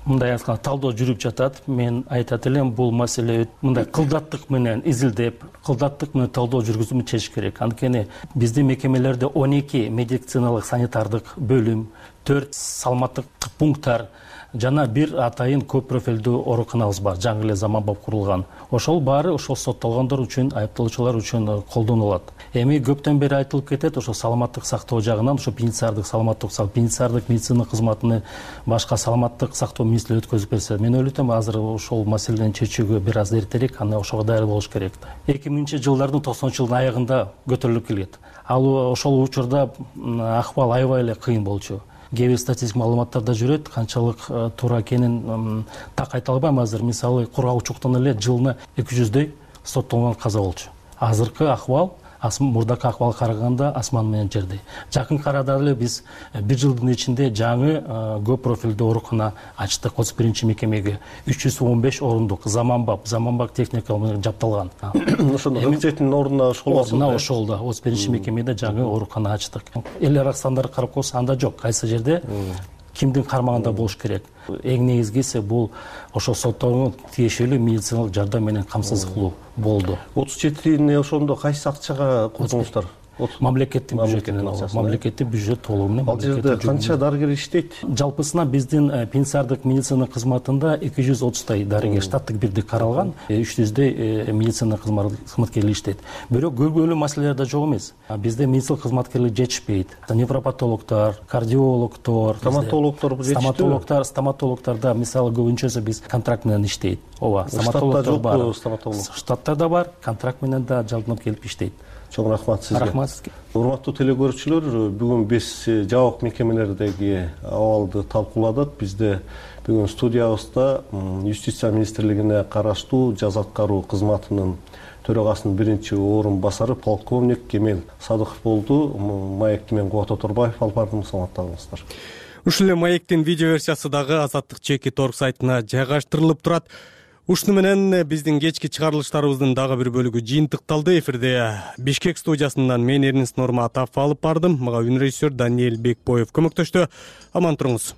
S15: Мындай айтканда талдоо жүрүп жатат. Мен айтат элем, бул маселе мындай кылдаттык менен изилдеп, кылдаттык менен талдоо жүргүзүп чечиш керек. Анткени биздин мекемелерде 12 медициналык санитардык бөлүм, 4 саламаттык пункттар жана бир атайын көп профилдүү ооруканабыз бар, жаңы эле заманбап курулган. Ошол баары ошол соттолгондор үчүн, айыпталуучулар үчүн колдонулат. Эми көптөн бери айтылып кетет, ошо саламаттык сактоо жагынан, ошо пенитенциардык медицина кызматыны башка саламаттык сактоо министрлиги өткөзүп берсе, мен ойлойм, азыр ошол маселени чечүүгө бир аз эртерээк, аны ошого даяр болуш керек. 2000-жылдардын 90-жылдын аягында көтөрүлүп келет. Ал ошол учурда акыбал аябай эле кыйын болчу. кээ бир статистик маалыматтар да жүрөт, канчалык туура экенин так айта албайм азыр. Мисалы кургаучуктан эле жылына 200дөй соттолгон каза болчу. Азыркы акыбал мурдакы акыбалга караганда асман менен жердей. Жакынкы арада эле биз бир жылдын ичинде жаңы көп профилдүү оорукана ачтык 31 мекемеге. 315 орундук заманбап техника менен жабдалган.
S14: Ошондо 47 ордуна
S15: ошол да 31 мекемеде жаңы оорукана ачтык. Эл аралык стандарт карап койсо анда жок. Кайсы жерде кимдин кармагында болуш керек. Эң негизгиси бул ошо соттолгон тиешелүү медициналык жардам менен камсыздык кылуу болду.
S14: 37-ни ошондо кайсы акчага курдуңуздар?
S15: Мамлекеттин бюджетинен, мамлекеттик бюджет толугу менен.
S14: Ал жерде канча дарыгер иштейт?
S15: Жалпысынан биздин пенсиардык медицина кызматында 230тай дарыгер штаттык бирдик каралган, 300дөй медицина кызматкерлери иштейт. Бирок көбөлүү маселелер да жок эмес. Бизде медицина кызматкерлери жетишпейт. Невропатологдор, кардиологдор, стоматологдор мисалы көбүнчөсү биз контракт менен иштейт. Ооба, стоматологдор бар. Штатта да бар, контракт менен да жалданып келип иштейт.
S14: Чоң рахмат сизге.
S15: Рахмат сизге.
S14: Урматтуу телекөрүүчүлөр, бүгүн биз жабык мекемелердеги абалды талкууладык. Бизде бүгүн студиябызда Юстиция министрлигине караштуу жаза аткаруу кызматынын төрагасынын биринчи орун басары полковник Кемел Садыков болду. Маекти мен Кубат Оторбаев алып бардым, саламаттаңыздар.
S1: Ушул эле маектин видео версиясы дагы Азаттык Чекит.org сайтына жайгаштырылып турат. Ушуну менен биздин кечки чыгарылыштарыбыздын дагы бир бөлүгү жыйынтыкталды. Эфирде Бишкек студиясынан мен Эрнест Нурматов алып бардым. Мага үнрежиссер Даниэль Бекбоев көмөктөштү. Аман туруңуз.